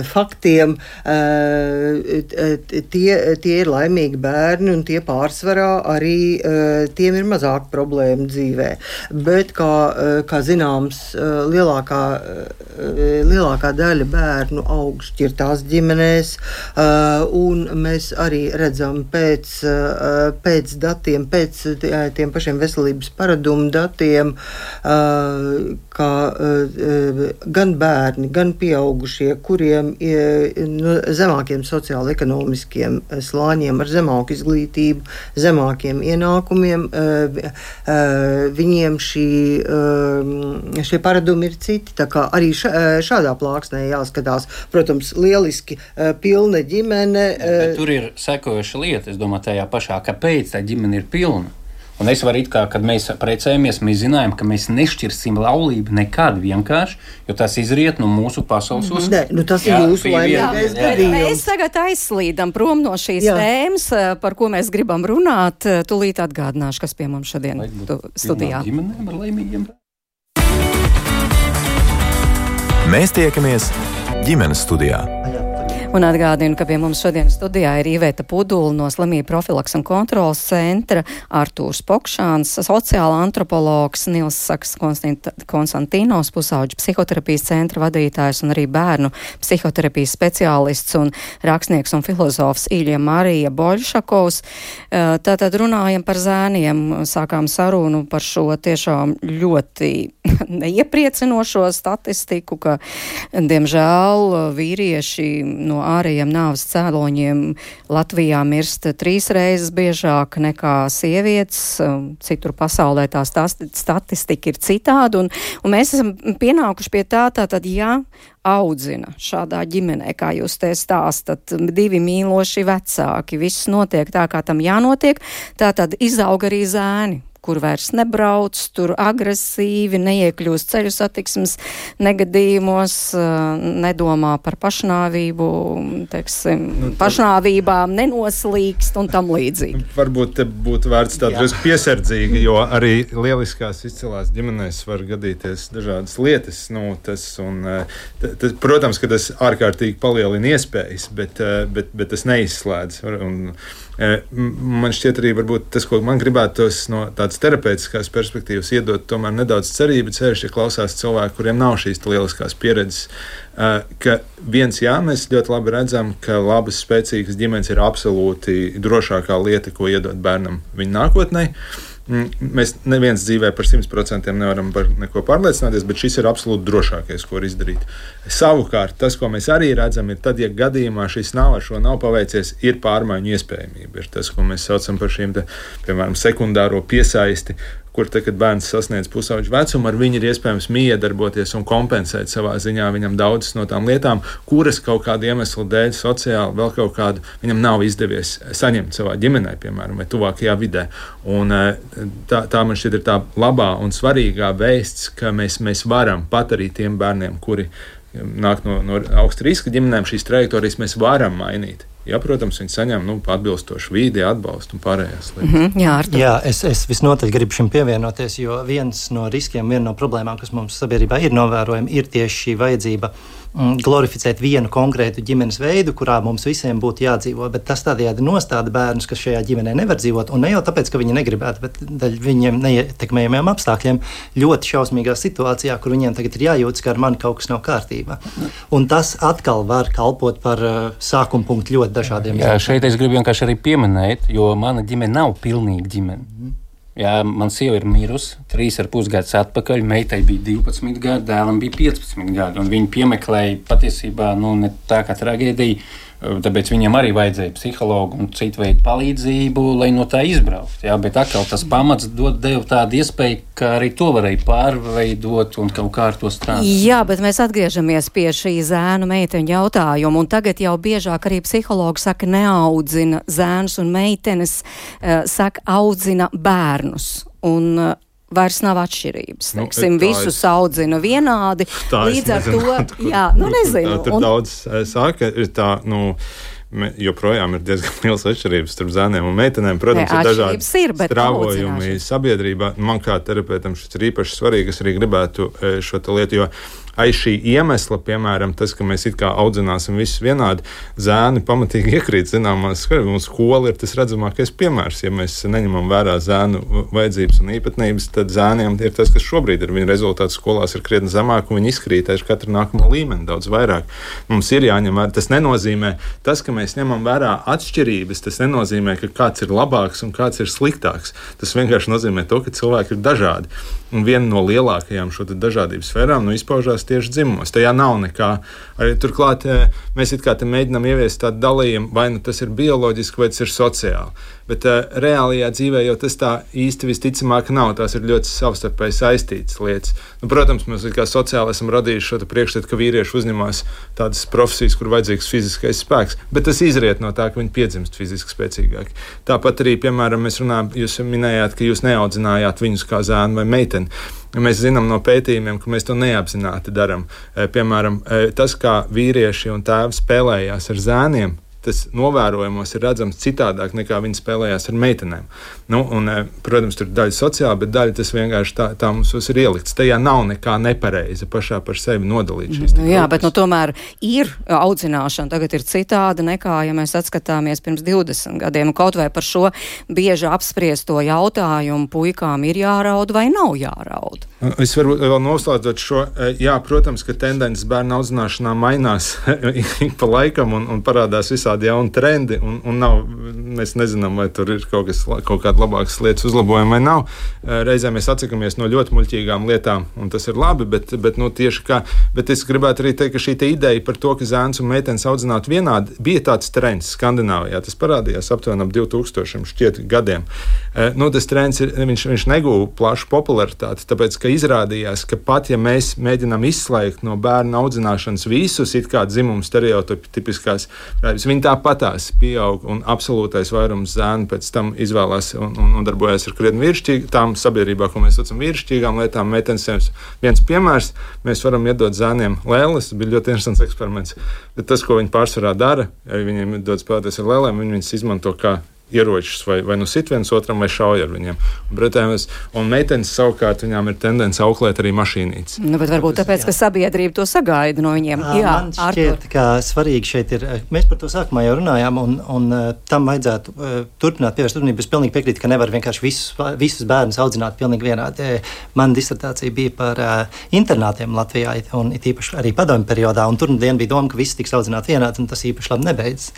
faktiem. Tie ir laimīgi bērni un tie pārsvarā arī tiem ir mazāk problēmu dzīvē. Bet, kā zināms, lielākā daļa bērnu aug šķirtās ģimenēs, un mēs arī redzam pēc datiem, pēc tiem pašiem veselības paradumu datiem, ka gan bērni, gan pieaugušie, kuriem no zemākiem sociāli-ekonomiskiem slāņiem ar zemāku izglītību, zemākiem ienākumiem, viņiem šie paradumi ir citi. Tā kā arī šādā plāksnē jāskatās. Protams, lieliski pilna ģimene. Bet tur ir sekojoša lieta, es domāju, tajā pašā, kāpēc tā ģimene ir pilna. Un es varu kad mēs precējamies, mēs zinājām, ka mēs nešķirsim laulību nekad vienkārši, jo tas izriet no mūsu pasaules uzskata. Tas ir jūsu laimīgais gadījums. Mēs tagad aizslīdam prom no šīs tēmas, par ko mēs gribam runāt. Tūlīt atgādināšu, kas pie mums šodien studijā. Ģimenēm ar laimīgiem. Mēs tiekamies ģimenes studijā. Un atgādinu, ka pie mums šodien studijā ir Iveta Pudula no Slimību profilaks un kontrolas centra, Artūrs Pokšāns, sociāla antropologs, Nils Saks Konstantīnos, pusauģu psihoterapijas centra vadītājs un arī bērnu psihoterapijas speciālists un rakstnieks un filozofs Ilja Marija Boļšakovs. Tātad runājam par zēniem, sākām sarunu par šo tiešām ļoti neiepriecinošo statistiku, ka, diemžēl, vīrieši no ārējiem nāves cēloņiem Latvijā mirst 3 reizes biežāk nekā sievietes. Citur pasaulē tā statistika ir citāda, un mēs esam pienākuši pie tātad, audzina šādā ģimenē, kā jūs te stāstat, 2 mīloši vecāki, viss notiek tā, kā tam jānotiek, tātad izaug arī zēni, kur vairs nebrauc, tur agresīvi, neiekļūst ceļu satiksmes negadījumos, nedomā par pašnāvību, pašnāvībām, nenoslīkst un tam līdzīgi. Varbūt te būtu vērts tā drusku piesardzīgi, jo arī lieliskās izcilās ģimenēs var gadīties dažādas lietas. Protams, ka tas ārkārtīgi palielina iespējas, bet tas neizslēdz. Man šķiet arī varbūt tas, ko man gribētos no tādas terapeitiskās perspektīvas iedot tomēr nedaudz cerību, ceļš, ja klausās cilvēki, kuriem nav šīs lieliskās pieredzes, ka mēs ļoti labi redzam, ka labas, spēcīgas ģimenes ir absolūti drošākā lieta, ko iedot bērnam viņa nākotnē. Mēs neviens dzīvē par 100% nevaram par neko pārliecināties, bet šis ir absolūti drošākais, ko var izdarīt. Savukārt, tas, ko mēs arī redzam, ir tad, ja gadījumā šis nav paveicies, ir pārmaiņu iespējamība. Ir tas, ko mēs saucam par šīm, piemēram, sekundāro piesaisti, kur tad, kad bērns sasniedz pusauģu vecumu, ar viņu ir iespējams miedarboties un kompensēt savā ziņā viņam daudzas no tām lietām, kuras kaut kādu iemeslu dēļ, sociāli, vēl kaut kādu viņam nav izdevies saņemt savā ģimenē, piemēram, vai tuvākajā vidē. Un tā man šķiet ir tā labā un svarīgā vēsts, ka mēs varam pat arī tiem bērniem, kuri nāk no augsta riska ģimenēm, šīs trajektorijas mēs varam mainīt. Ja, protams, viņi saņem atbilstošu vīdi, atbalstu un pārējās lietas. Jā, es visnotaļ gribu šim pievienoties, jo viens no riskiem, viena no problēmām, kas mums sabiedrībā ir novērojama, ir tieši šī vajadzība glorificēt vienu konkrētu ģimenes veidu, kurā mums visiem būtu jādzīvo, bet tas tādējādi nostāda bērnus, kas šajā ģimenē nevar dzīvot, un ne jau tāpēc, ka viņi negribētu, bet daļ viņiem neietekmējumiem apstākļiem ļoti šausmīgā situācijā, kur viņiem tagad ir jājūtas, ka ar mani kaut kas nav kārtībā. Un tas atkal var kalpot par sākuma punktu ļoti dažādiem. Jā, šeit es gribu vienkārši arī pieminēt, jo mana ģimene nav pilnīga ģimene. Jā, man sieva ir mirusi, 3,5 gadus atpakaļ, meitai bija 12 gadi, dēlam bija 15 gadi, un viņi piemeklēja patiesībā, ne tā kā traģēdija, tāpēc viņam arī vajadzēja psihologu un citu veidu palīdzību, lai no tā izbraukt. Jā, bet atkal tas pamats deva tādu iespēju, ka arī to varēja pārveidot un kaut kā ar to strādāt. Jā, bet mēs atgriežamies pie šī zēnu meiteņu jautājuma, un tagad jau biežāk arī psihologi saka, neaudzina zēnus un meitenes, saka, audzina bērnus. Un vairs nav atšķirības. Visus audzina vienādi. Līdz ar to, nezinu. Tur daudz saka, ir tā, joprojām ir diezgan liels atšķirības starp zēniem un meitenēm. Protams, ir dažādi strāvojumi sabiedrībā. Man kā terapeitam šis ir īpaši svarīgi. Es arī gribētu šo lietu, jo aiz šī iemesla, piemēram, tas, ka mēs it kā audzināsim visus vienādi, zēni pamatīgi iekrīt zināmās skarības. Mums skola ir tas redzamākais piemērs. Ja mēs neņemam vērā zēnu vajadzības un īpatnības, tad zēniem ir tas, kas šobrīd ir. Viņa rezultāti skolās ir krietni zemāk, un viņi izkrīt aiz katru nākamo līmeni daudz vairāk. Mums ir jāņem vērā. Tas nenozīmē, tas, ka mēs ņemam vērā atšķirības, tas nenozīmē, ka kāds ir labāks un kāds ir sliktāks. Tas vienkārši nozīmē to, ka cilvēki ir dažādi. Un viena no lielākajām šo dažādības sfērām izpaužās tieši dzimumos. Tajā nav nekā. Arī turklāt mēs it kā te mēģinām ieviest tādu dalījumu, vai tas ir bioloģiski, vai tas ir sociāli. Bet reālajā dzīvē jau tas tā īsti visticamāk nav. Tās ir ļoti savstarpēji saistītas lietas. Protams, mēs kā sociāli esam radījuši šo priekšstatu, ka vīrieši uzņemās tādas profesijas, kur vajadzīgs fiziskais spēks, bet tas izriet no tā, ka viņi piedzimst fiziski spēcīgāki. Tāpat arī, piemēram, mēs runājam, jūs minējāt, ka jūs neaudzinājāt viņus kā zēnu vai meiteni. Mēs zinām no pētījumiem, ka mēs to neapzināti darām. Piemēram, tas, kā vīrieši un tēvi spēlējās ar zēniem, tas novērojumos ir redzams citādāk nekā viņi spēlējās ar meitenēm. Protams, tur ir daļa sociāla, bet daļa tas vienkārši tā mums ir ielikts. Tajā nav nekā nepareiza pašā par sevi nodalīt šīs grupas. Jā, bet tomēr ir audzināšana. Tagad ir citāda nekā, ja mēs atskatāmies pirms 20 gadiem. Kaut vai par šo bieži apspriesto jautājumu, puikām ir jāraud vai nav jāraud. Es varbūt vēl noslēdzot šo. Jā, protams, ka tendences bērnu audzināšanā mainās ik pa laikam un parādās visādi jauni trendi, un mēs nezinām, vai tur ir kaut kāda labākas lietas uzlabojuma vai nav. Reizēm mēs atsakamies no ļoti muļķīgām lietām, un tas ir labi, bet tieši kā. Bet es gribētu arī teikt, ka šī ideja par to, ka zēns un meitenes audzinātu vienādi, bija tāds trends Skandināvijā. Tas parādījās aptuveni ap 2000 šķiet gadiem. Tas trends viņš negūva plašu popularitāti, tāpēc, ka izrādījās, ka pat ja mēs mēģinām izslēgt no bērnu audzināšanas visus it kā dzimumu stereotipiskās, viņi tāpatās pieaug, un absolūtais vairums zēnu pēc tam izvēlās un darbojas ar krietni vīrišķīgām sabiedrībā, ko mēs saucam vīrišķīgām lietām. Meitenes viens piemērs, mēs varam iedot zēniem lēles, tas bija ļoti interesants eksperiments, bet tas, ko viņi pārsvarā dara, ja viņiem dod spēlēties ar lēlēm, viņi viņas izmanto kā ieročus, vai sit viens otram, vai šauj ar viņiem. Un meitenes savukārt viņām ir tendence auklēt arī mašīnītes. Bet varbūt tāpēc, ka sabiedrība to sagaida no viņiem. Jā, man šķiet, ka svarīgi šeit ir, mēs par to sākumā jau runājām, un tam vajadzētu turpināt pievērst uzmanību. Es pilnīgi piekrītu, ka nevar vienkārši visus bērnus audzināt pilnīgi vienādi. Man disertācija bija par internātiem Latvijā, un īpaši arī padomju periodā, un tur bija doma, ka visi tiks audzināti vienādi, un tas īpaši labi nebeidzas.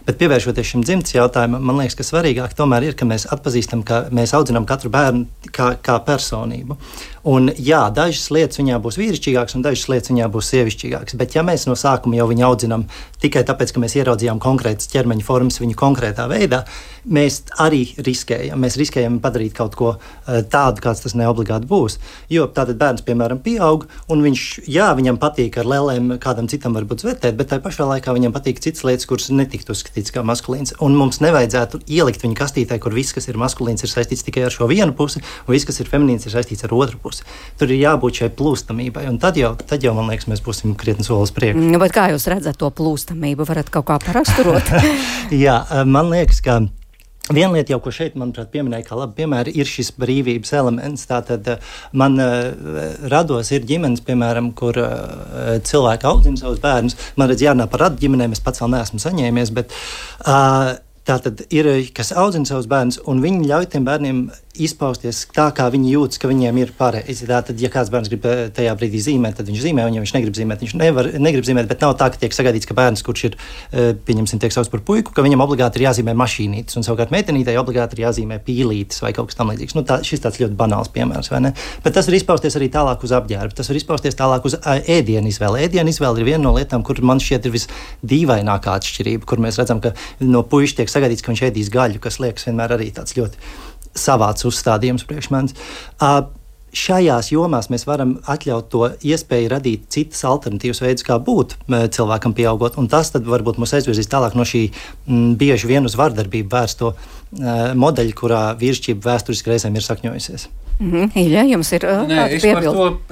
Bet pievēršoties šim dzimtes jautājumam, man liekas, ka svarīgāk tomēr ir, ka mēs atpazīstam, ka mēs audzinām katru bērnu kā personību. Un jā, dažas lietas viņā būs vīrišķīgākas, un dažas lietas viņā būs sievišķīgākas. Bet ja mēs no sākuma jau viņu audzinām tikai tāpēc, ka mēs ieraudzījām konkrētas ķermeņa formas viņu konkrētā veidā, mēs arī riskējam. Mēs riskējam padarīt kaut ko tādu, kāds tas neobligāti būs. Jo tātad bērns, piemēram, pieaug, un viņam patīk ar lēlēm, kādam citam varbūt zvetēt, bet tai pašā laikā viņam patīk citas lietas, kuras netiktu uzskatīts kā maskulīns. Un mums nevajadzētu ielikt viņu kastītē, kur viss, kas ir maskulīns, ir saistīts tikai ar šo vienu pusi, un viss, kas ir feminīns, ir saistīts ar otru pusi. Tur ir jābūt šai plūstamībai, un tad jau, man liekas, mēs būsim krietni solis priekšu. Bet kā jūs redzat to plūstamību? Varat kaut kā paraksturot? Jā, man liekas, ka viena lieta, jau ko šeit, manuprāt, pieminēja kā labi piemēri, ir šis brīvības elements. Tātad man rados ir ģimenes, piemēram, kur cilvēki audzina savus bērnus. Man redz jārunā par radu ģimenēm, es pats vēl neesmu saņēmies, bet tātad ir, kas audzina savus bērnus, un viņi ļauj tiem bērniem izpausties tā, kā viņi jūtas, ka viņiem ir pareizi. Tātad, ja kāds bērns grib tajā brīdī zīmēt, tad viņš zīmē, un ja viņš negrib zīmēt, viņš negrib zīmēt, bet nav tā, ka tiek sagaidīts, ka bērns, kurš ir, pieņemsim, tiek sauc par puiku, ka viņam obligāti ir jāzīmē mašīnītes, un savukārt meitenītei obligāti ir jāzīmē pīlītes vai kaut kas tam līdzīgs. Šis tāds ļoti banāls piemērs, vai ne? Bet tas var izpausties arī tālāk uz apģērbu, tas var izpausties tālāk uz ēdienu izvēli. Ēdienu izvēle ir viena no lietām, kur man šķiet ir visdīvainākā atšķirība, kur mēs redzam, ka no puiša tiek sagaidīts, ka viņš ēdīs gaļu, kas liekas vienmēr arī tāds ļoti savāds uzstādījums priekš manis. Šajās jomās mēs varam atļaut to iespēju radīt citas alternatīvas veidus, kā būt cilvēkam pieaugot, un tas tad varbūt mūs aizvirzīs tālāk no šī bieži vien uz vardarbību vērsto modeļa, kurā vīrišķība vēsturiski reizēm ir sakņojusies. Ilja, jums ir kāda piebilde?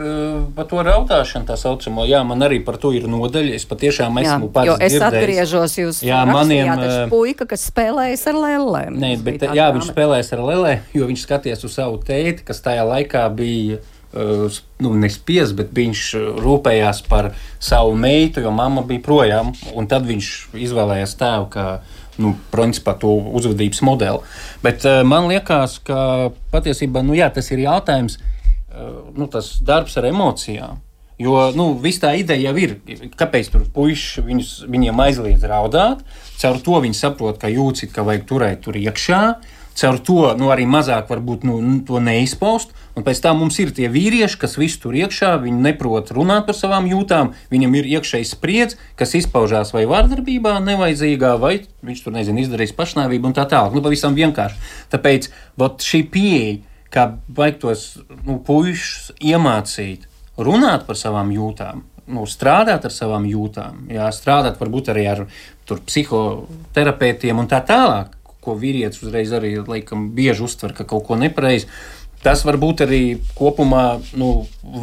Par to raudāšanu tā saucamo, jā, man arī par to ir nodaļa, es patiešām esmu pats dzirdējis. Jo es atgriežos, jūs rakstījāt puika, kas spēlējas ar lelēm. Nē, bet jā, viņš spēlējas ar lelē, jo viņš skaties uz savu tēti, kas tajā laikā bija, nespies, bet viņš rūpējās par savu meitu, jo mamma bija projām, un tad viņš izvēlējās tēvu, kā principā to uzvedības modeli. Bet man liekas, ka patiesībā, tas ir jautājums, tas darbs ar emocijām. Jo, viss tā ideja jau ir, kāpēc tur puiši viņiem aizliedz raudāt, caur to viņi saprot, ka jūcit, ka vajag turēt tur iekšā, caur to, arī mazāk varbūt, to neizpaust, un pēc tam mums ir tie vīrieši, kas visu tur iekšā, viņi neprot runāt par savām jūtām, viņam ir iekšējs spriedz, kas izpaužās vai vardarbībā nevajadzīgā, vai viņš tur, izdarīs pašnāvību un tā tālāk, pavisam vienkārši. Tāpēc, šī pieeja, kā vajag tos, puišus iemācīt runāt par savām jūtām, strādāt ar savām jūtām, strādāt varbūt arī ar psihoterapeitiem un tā tālāk, ko vīrietis uzreiz arī, laikam, bieži uztver, ka kaut ko nepareizi. Tas varbūt arī kopumā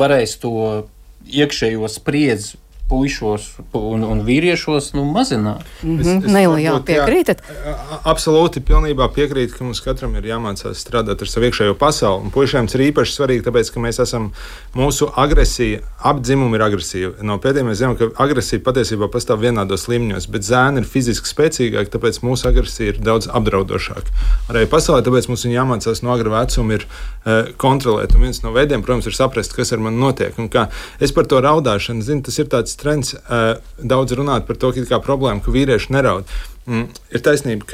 varēs to iekšējo spriedzi puišos un vīriešos mazināt. Jā, piekrītat? Absolūti, pilnībā piekrītu, ka mums katram ir jāmācās strādāt ar savu iekšējo pasauli. Un puišiem ir īpaši svarīgi, tāpēc, ka mēs esam, mūsu agresija, apdzimumi ir agresīva. No pēdējiem mēs zinām, ka agresija patiesībā pastāv vienādos līmeņos, bet zēni ir fiziski spēcīgāki, tāpēc mūsu agresija ir daudz apdraudošāka. Arī pasaulē, tāpēc mums jāmācās no agra vecuma ir kontrolēt. Un viens no veidiem, protams, ir saprast, kas ar mani notiek. Un kā es par to raudāšanu zinu, tas ir tāds trends daudz runāt par to, kā problēma, ka vīrieši neraud. Ir taisnība,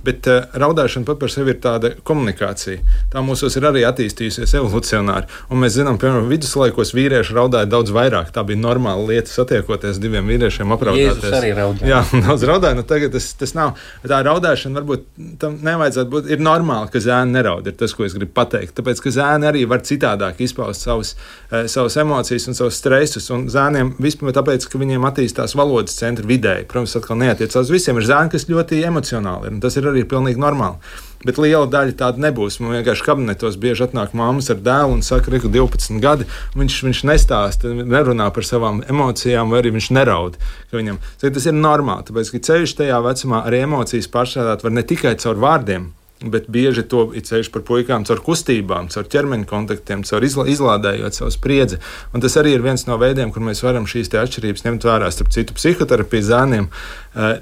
bet raudāšana pat par sevi ir tāda komunikācija. Tā mūsos ir arī attīstījusies evolucionāri. Un mēs zinām, piemēram, viduslaikos vīrieši raudāja daudz vairāk. Tā bija normāla lieta satiekoties diviem vīriešiem apraudāties. Jēzus arī raudāja. Jā, daudz raudāja, tagad tas nav. Tā raudāšana varbūt tam nevajadzētu būt. Ir normāli, ka zēni neraud, ir tas, ko es gribu pateikt. Tāpēc, ka zēni arī var citādāk izpaust savas emocijas un savus stresus. Un zēniem vispār tāpēc, ka viņiem attīstās valodas centri vidēji. Protams, atkal neatiecās visiem. Ir zēni, kas ļoti emocionāli ir, un tas ir arī pilnīgi normāli. Bet liela daļa tāda nebūs. Man vienkārši kabinetos bieži atnāk mammas ar dēlu un saka, ka 12 gadi, viņš nestāsta, nerunā par savām emocijām, vai arī viņš neraud. Tas ir normāli, tāpēc, ka ceļš tajā vecumā arī emocijas pārstrādāt var ne tikai caur vārdiem, bet bieži to ir ceļš par puikām caur kustībām, caur ķermeņa kontaktiem, caur izlādējot savu spriedzi. Un tas arī ir viens no veidiem, kur mēs varam šīs atšķirības ņemt vērā. Starp citu, psihoterapija zēniem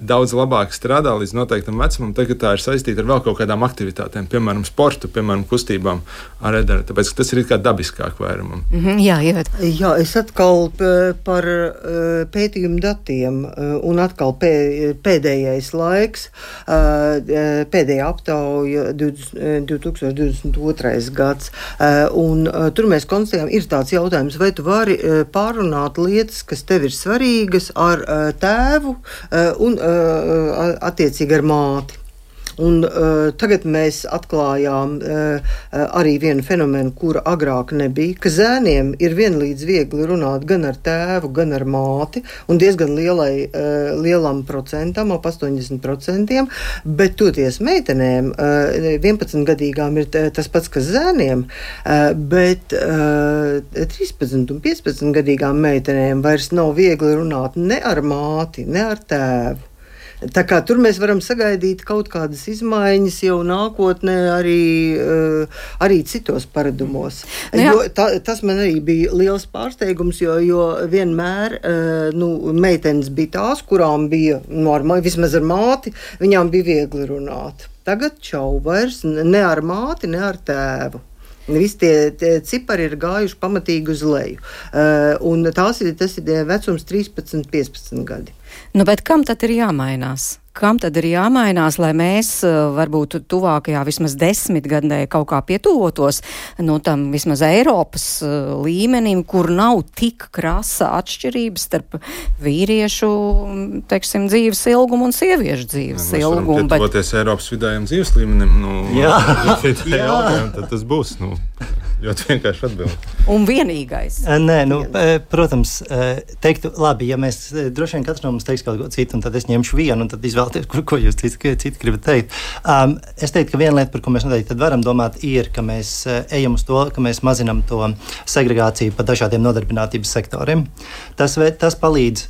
daudz labāk strādā līdz noteiktam vecumam, tagad tā ir saistīta ar vēl kaut kādām aktivitātēm, piemēram, sportu, piemēram, kustībām ar edera, tāpēc, ka tas ir kā dabiskāk vairumam. Jā, jā, es atkal par pētījumu datiem un atkal pēdējais laiks, pēdējā aptauja 2022. gads, un tur mēs konstatējām, ir tāds jautājums, vai tu vari pārunāt lietas, kas tev ir svarīgas ar tēvu, un attiecīgi ar māti. Un tagad mēs atklājām arī vienu fenomenu, kura agrāk nebija, ka zēniem ir vienlīdz viegli runāt gan ar tēvu, gan ar māti, un diezgan lielam procentam, ap 80%, bet toties meitenēm, 11-gadīgām ir tas pats, kas zēniem, bet 13 un 15-gadīgām meitenēm vairs nav viegli runāt ne ar māti, ne ar tēvu. Tā kā tur mēs varam sagaidīt kaut kādas izmaiņas jau nākotnē arī citos paradumos. Tas man arī bija liels pārsteigums, jo vienmēr meitenes bija tās, kurām bija normāli, vismaz ar māti, viņām bija viegli runāt. Tagad vairs ne ar māti, ne ar tēvu. Visi tie cipari ir gājuši pamatīgi uz leju. Un tas ir vecums 13-15 gadi. Bet kam tad ir jāmainās? Kam tad ir jāmainās, lai mēs varbūt tuvākajā vismaz 10 gadē kaut kā pietuvotos tam vismaz Eiropas līmenim, kur nav tik krasa atšķirības starp vīriešu, teiksim, dzīves ilgumu un sieviešu dzīves ilgumu. Ja pietuvoties Eiropas vidējiem dzīves līmenim, tad tas būs, ļoti vienkārši atbild. Un vienīgais. Protams, teiktu, labi, ja mēs droši vien katrs no mums teiks kaut ko citu, un tad es ņemšu vienu, un tad izvēlēties, ko jūs citi gribat teikt. Es teiktu, ka viena lieta, par ko mēs noteikti varam domāt, ir, ka mēs ejam uz to, ka mēs mazinam to segregāciju pa dažādiem nodarbinātības sektoriem. Tas palīdz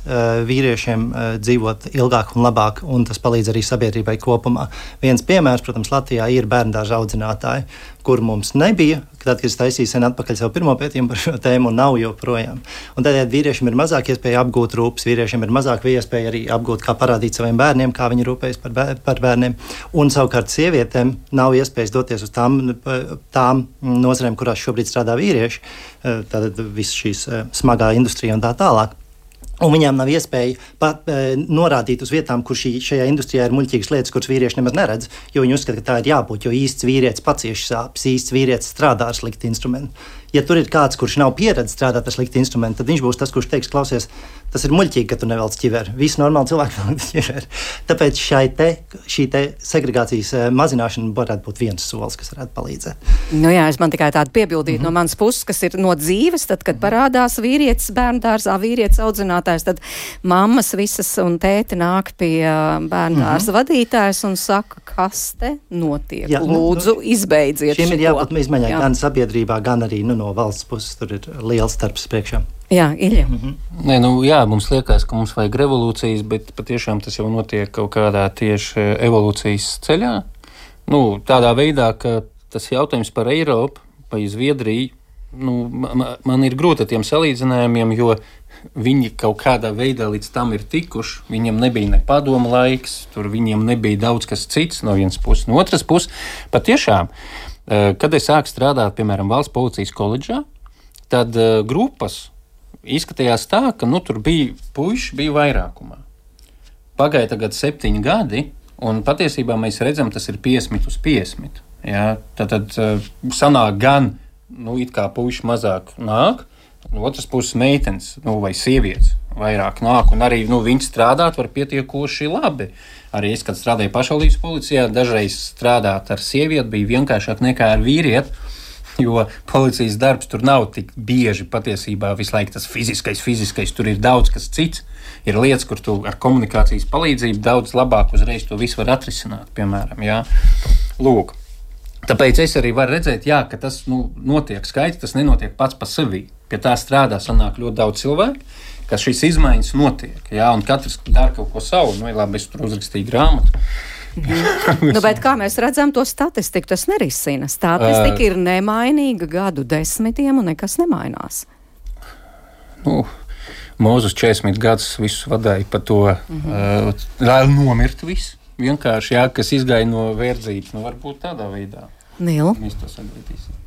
vīriešiem dzīvot ilgāk un labāk, un tas palīdz arī sabiedrībai kopumā. Viens piemērs, protams, Latvijā ir bērndārza audzinātāji, kur mums nebija, tad, kad es taisīju sen atpakaļ savu pirmo pētījumu par šo tēmu, un nav joprojām. Un tādēļ vīriešiem ir mazāk iespēja apgūt rūpes, vīriešiem ir mazāk iespēja arī apgūt, kā parādīt saviem bērniem, kā viņi rūpējas par bērniem. Un savukārt sievietēm nav iespējas doties uz tām nozarēm, kurās šobrīd strādā vīrieši, tātad viss šīs smagā industrija un tā tālāk. Un viņām nav iespēja pat norādīt uz vietām, kur šajā industrijā ir muļķīgas lietas, kuras vīrieši nemaz neredz, jo viņi uzskata, ka tā ir jābūt, jo īsts vīrietis pacieš sāpes, īsts vīrietis strādā ar sliktu instrumentu. Ja tur ir kāds, kurš nav pieredzējis strādāt ar sliktu instrumentu, tad viņš būs tas, kurš teiks, klausies, tas ir muļķīgi, ka tu nevelc ķiveri. Visi normāli cilvēki velc ķiveri. Tāpēc šī segregācijas mazināšana varētu būt viens solis, kas varētu palīdzēt. Es man tikai tādu piebildītu no manas puses, kas ir no dzīves, tad, kad parādās vīrietis bērndārzā, vīrietis audzinātājs, tad mammas visas un tēti nāk pie bērndārza vadītājas un saka, kas te notiek. Lūdzu, izbeidziet šim ir jābūt izmaiņai gan sabiedrībā, gan arī no valsts puses. Tur ir liels darbs priekšā. Jā, Ilja. Mums liekas, ka mums vajag revolūcijas, bet patiešām tas jau notiek kaut kādā tieši evolūcijas ceļā. Tādā veidā, ka tas jautājums par Eiropu, par Zviedriju, man ir grūti ar tiem salīdzinājumiem, jo viņi kaut kādā veidā līdz tam ir tikuši. Viņiem nebija ne padoma laiks, tur viņiem nebija daudz kas cits no vienas puses. No otras puses, patiešām, kad es sāku strādāt, piemēram, Valsts policijas koledžā, tad grupas izskatījās tā, ka tur bija puiši, bija vairākumā. Pagāja tagad 7 gadi, un patiesībā mēs redzam, tas ir 50/50. Ja? Tad sanāk gan, it kā puiši mazāk nāk, no otras puses meitenes, vai sievietes vairāk nāk, un arī viņi strādāt var pietiekoši labi. Arī es, kad strādāju pašvaldības policijā, dažreiz strādāt ar sievieti bija vienkāršāk nekā ar vīrieti, jo policijas darbs tur nav tik bieži patiesībā visu laiku tas fiziskais, tur ir daudz kas cits. Ir lietas, kur tu ar komunikācijas palīdzību daudz labāk uzreiz to visu var atrisināt, piemēram, jā. Lūk. Tāpēc es arī varu redzēt, ka tas notiek skaidrs, tas nenotiek pats pa sevi. Pie tā strādā sanāk ļoti daudz cilvēku, ka šīs izmaiņas notiek, un katrs dara kaut ko savu. Labi, es tur uzrakstīju grāmatu. Bet kā mēs redzam to statistiku, tas nerisina. Statistika ir nemainīga gadu desmitiem un nekas nemainās. Mūzus 40 gadus visus vadīja par to, lai nomirtu viss. Vienkārši, kas izgāja no verdzības, varbūt tādā veidā. Nīl. Mēs to sagadīsim.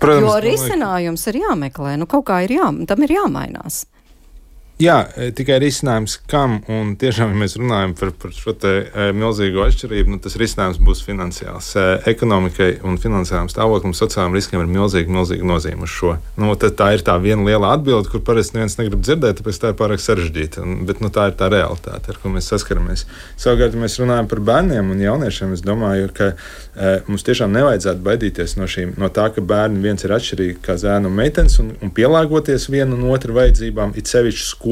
Protams, jo risinājums ir jāmeklē, kaut kā tam ir jāmainās. Jā, tikai risinājums kam, un tiešām, ja mēs runājam par šo te milzīgo atšķirību, tas risinājums būs finansiāls. Ekonomikai un finansiālam stāvoklim, sociālajiem riskiem ir milzīgi nozīme uz šo. Tā ir tā viena liela atbilde, kur parasti neviens negrib dzirdēt, tāpēc tā ir pārāk sarežģīta. Bet tā ir tā realitāte, ar ko mēs saskaramies. Savukārt, ja mēs runājam par bērniem un jauniešiem, es domāju, ka mums tiešām nevajadzētu baidīties no tā, ka bērni viens ir atšķirīgi kā zēni un meitenes un pielāgoties vienu un otru vajadzībām, it sevišķi skolā.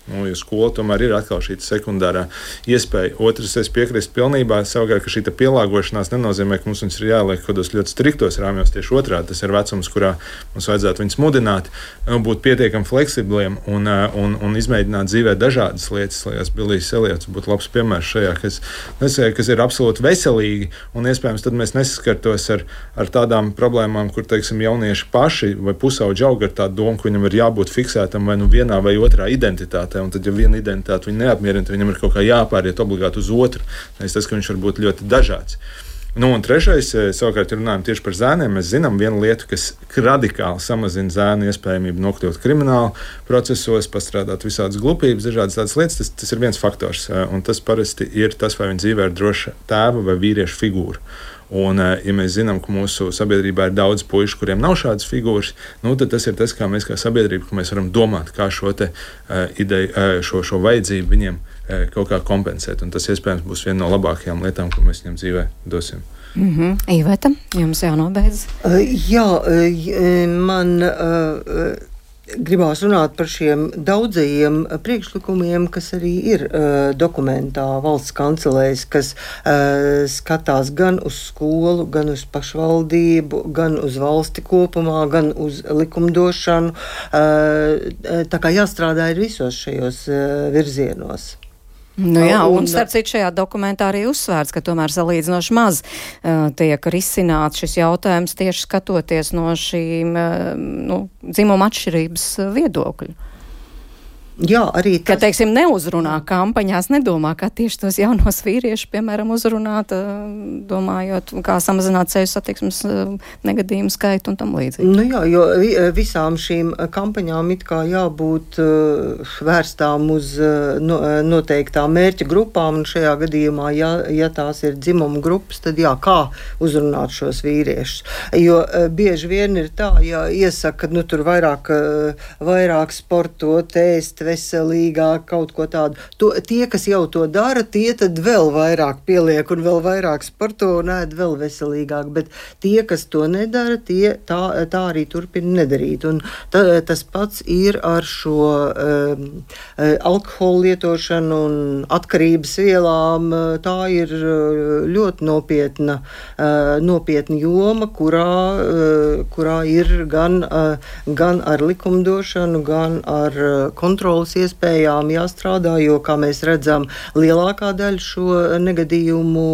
Jo skola tomēr ir atkal šī sekundārā iespēja. Otrs, es piekrīstu pilnībā, savukārt, ka šī pielāgošanās nenozīmē, ka mums viņus ir jāliek kādos ļoti striktos rāmjos. Tieši otrādi, tas ir vecums, kurā mums vajadzētu viņus mudināt, būt pietiekami fleksibliem un izmēģināt dzīvē dažādas lietas. Liekas, Bilijs Eliots būtu labs piemērs šajā, kas ir absolūti veselīgi, un iespējams tad mēs nesaskartos ar tādām problēmām, kur, teiksim, jaunieši paši vai pusauģi aug ar tādu domu, ka viņam ir jābūt fiksētam vai nu vienā vai otrā identitātē, un tad, ja viena identitāte viņu neapmierina, tad viņam ir kaut kā jāpāriet obligāti uz otru. Tas, ka viņš var būt ļoti dažāds. Un trešais, savukārt, runājam tieši par zēniem. Mēs zinām vienu lietu, kas radikāli samazina zēnu iespējamību nokļūt krimināla procesos, pastrādāt visādas glupības, dažādas tādas lietas. Tas ir viens faktors, un tas parasti ir tas, vai viņa dzīvē ir droša tēva vai vīrieša figūra. Un, ja mēs zinām, ka mūsu sabiedrībā ir daudz puišu, kuriem nav šādas figūras, tad tas ir tas, kā mēs kā sabiedrība, ka mēs varam domāt, kā šo ideju, šo vajadzību viņiem kaut kā kompensēt. Un tas iespējams būs viena no labākajām lietām, ko mēs viņam dzīvē dosim. Iveta, jums jānobeidz? Man gribās runāt par šiem daudzajiem priekšlikumiem, kas arī ir dokumentā valsts kancelēs, kas skatās gan uz skolu, gan uz pašvaldību, gan uz valsti kopumā, gan uz likumdošanu. Tā kā jāstrādā ir visos šajos virzienos. Un starp citu šajā dokumentā arī uzsvērts, ka tomēr salīdzinoši maz tiek risināts šis jautājums tieši skatoties no šīm dzimuma atšķirības viedokļu. Jā, arī tas. Ka, teiksim, neuzrunā kampaņās, nedomā, kā tieši tos jaunos vīriešus, piemēram, uzrunāt, domājot, kā samazināt ceļu satiksmes negadījumu skaitu un tam līdzīgi. Jo visām šīm kampaņām it kā jābūt vērstām uz noteiktām mērķa grupām, un šajā gadījumā, ja tās ir dzimuma grupas, tad kā uzrunāt šos vīriešus. Jo bieži vien ir tā, ja iesaka, tur vairāk sportot, ēst, veselīgāk, kaut ko tādu. Tie, kas jau to dara, tie tad vēl vairāk pieliek un vēl vairāk sporto un ēd vēl veselīgāk, bet tie, kas to nedara, tā arī turpina nedarīt. Un tas pats ir ar šo alkoholu lietošanu un atkarības vielām. Tā ir ļoti nopietna joma, kurā ir gan ar likumdošanu, gan ar kontrolas iespējām jāstrādā, jo, kā mēs redzam, lielākā daļa šo negadījumu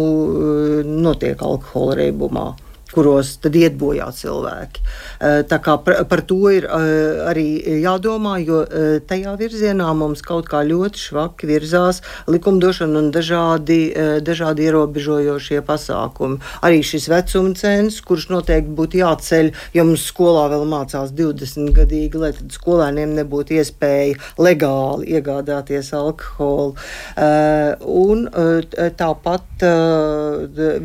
notiek alkohola reibumā, kuros tad iet bojā cilvēki. Tā kā par to ir arī jādomā, jo tajā virzienā mums kaut kā ļoti švaki virzās likumdošana un dažādi ierobežojošie pasākumi. Arī šis vecuma cens, kurš noteikti būtu jāceļ, jo mums skolā vēl mācās 20-gadīgi, lai tad skolēniem nebūtu iespēja legāli iegādāties alkoholu. Un tāpat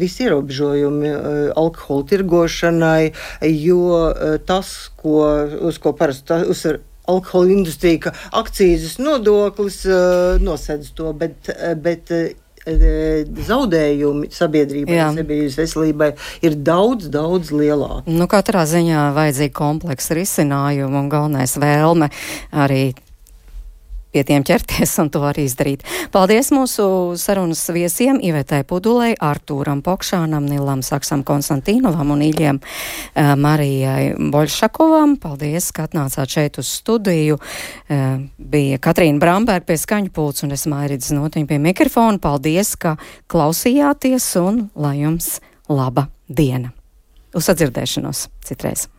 visi ierobežojumi alkoholu tirgošanai, jo tas, uz ko parasti uzsver alkohola industrija, ka akcīzes nodoklis nosedz to, bet zaudējumi sabiedrībai, sabiedrības veselībai ir daudz, daudz lielāki. Katrā ziņā vajadzīgi kompleksa risinājumu un galvenais vēlme arī pie tiem ķerties un to arī izdarīt. Paldies mūsu sarunas viesiem Ivetai Pudulei, Artūram Pokšānam, Nilam Saksam Konstantīnovam un Iļiem Marijai Boļšakovam. Paldies, ka atnācāt šeit uz studiju. Bija Katrīna Bramberga pie skaņu pults un es Mairidz Notiņa pie mikrofona. Paldies, ka klausījāties un lai jums laba diena. Uz sadzirdēšanos citreiz.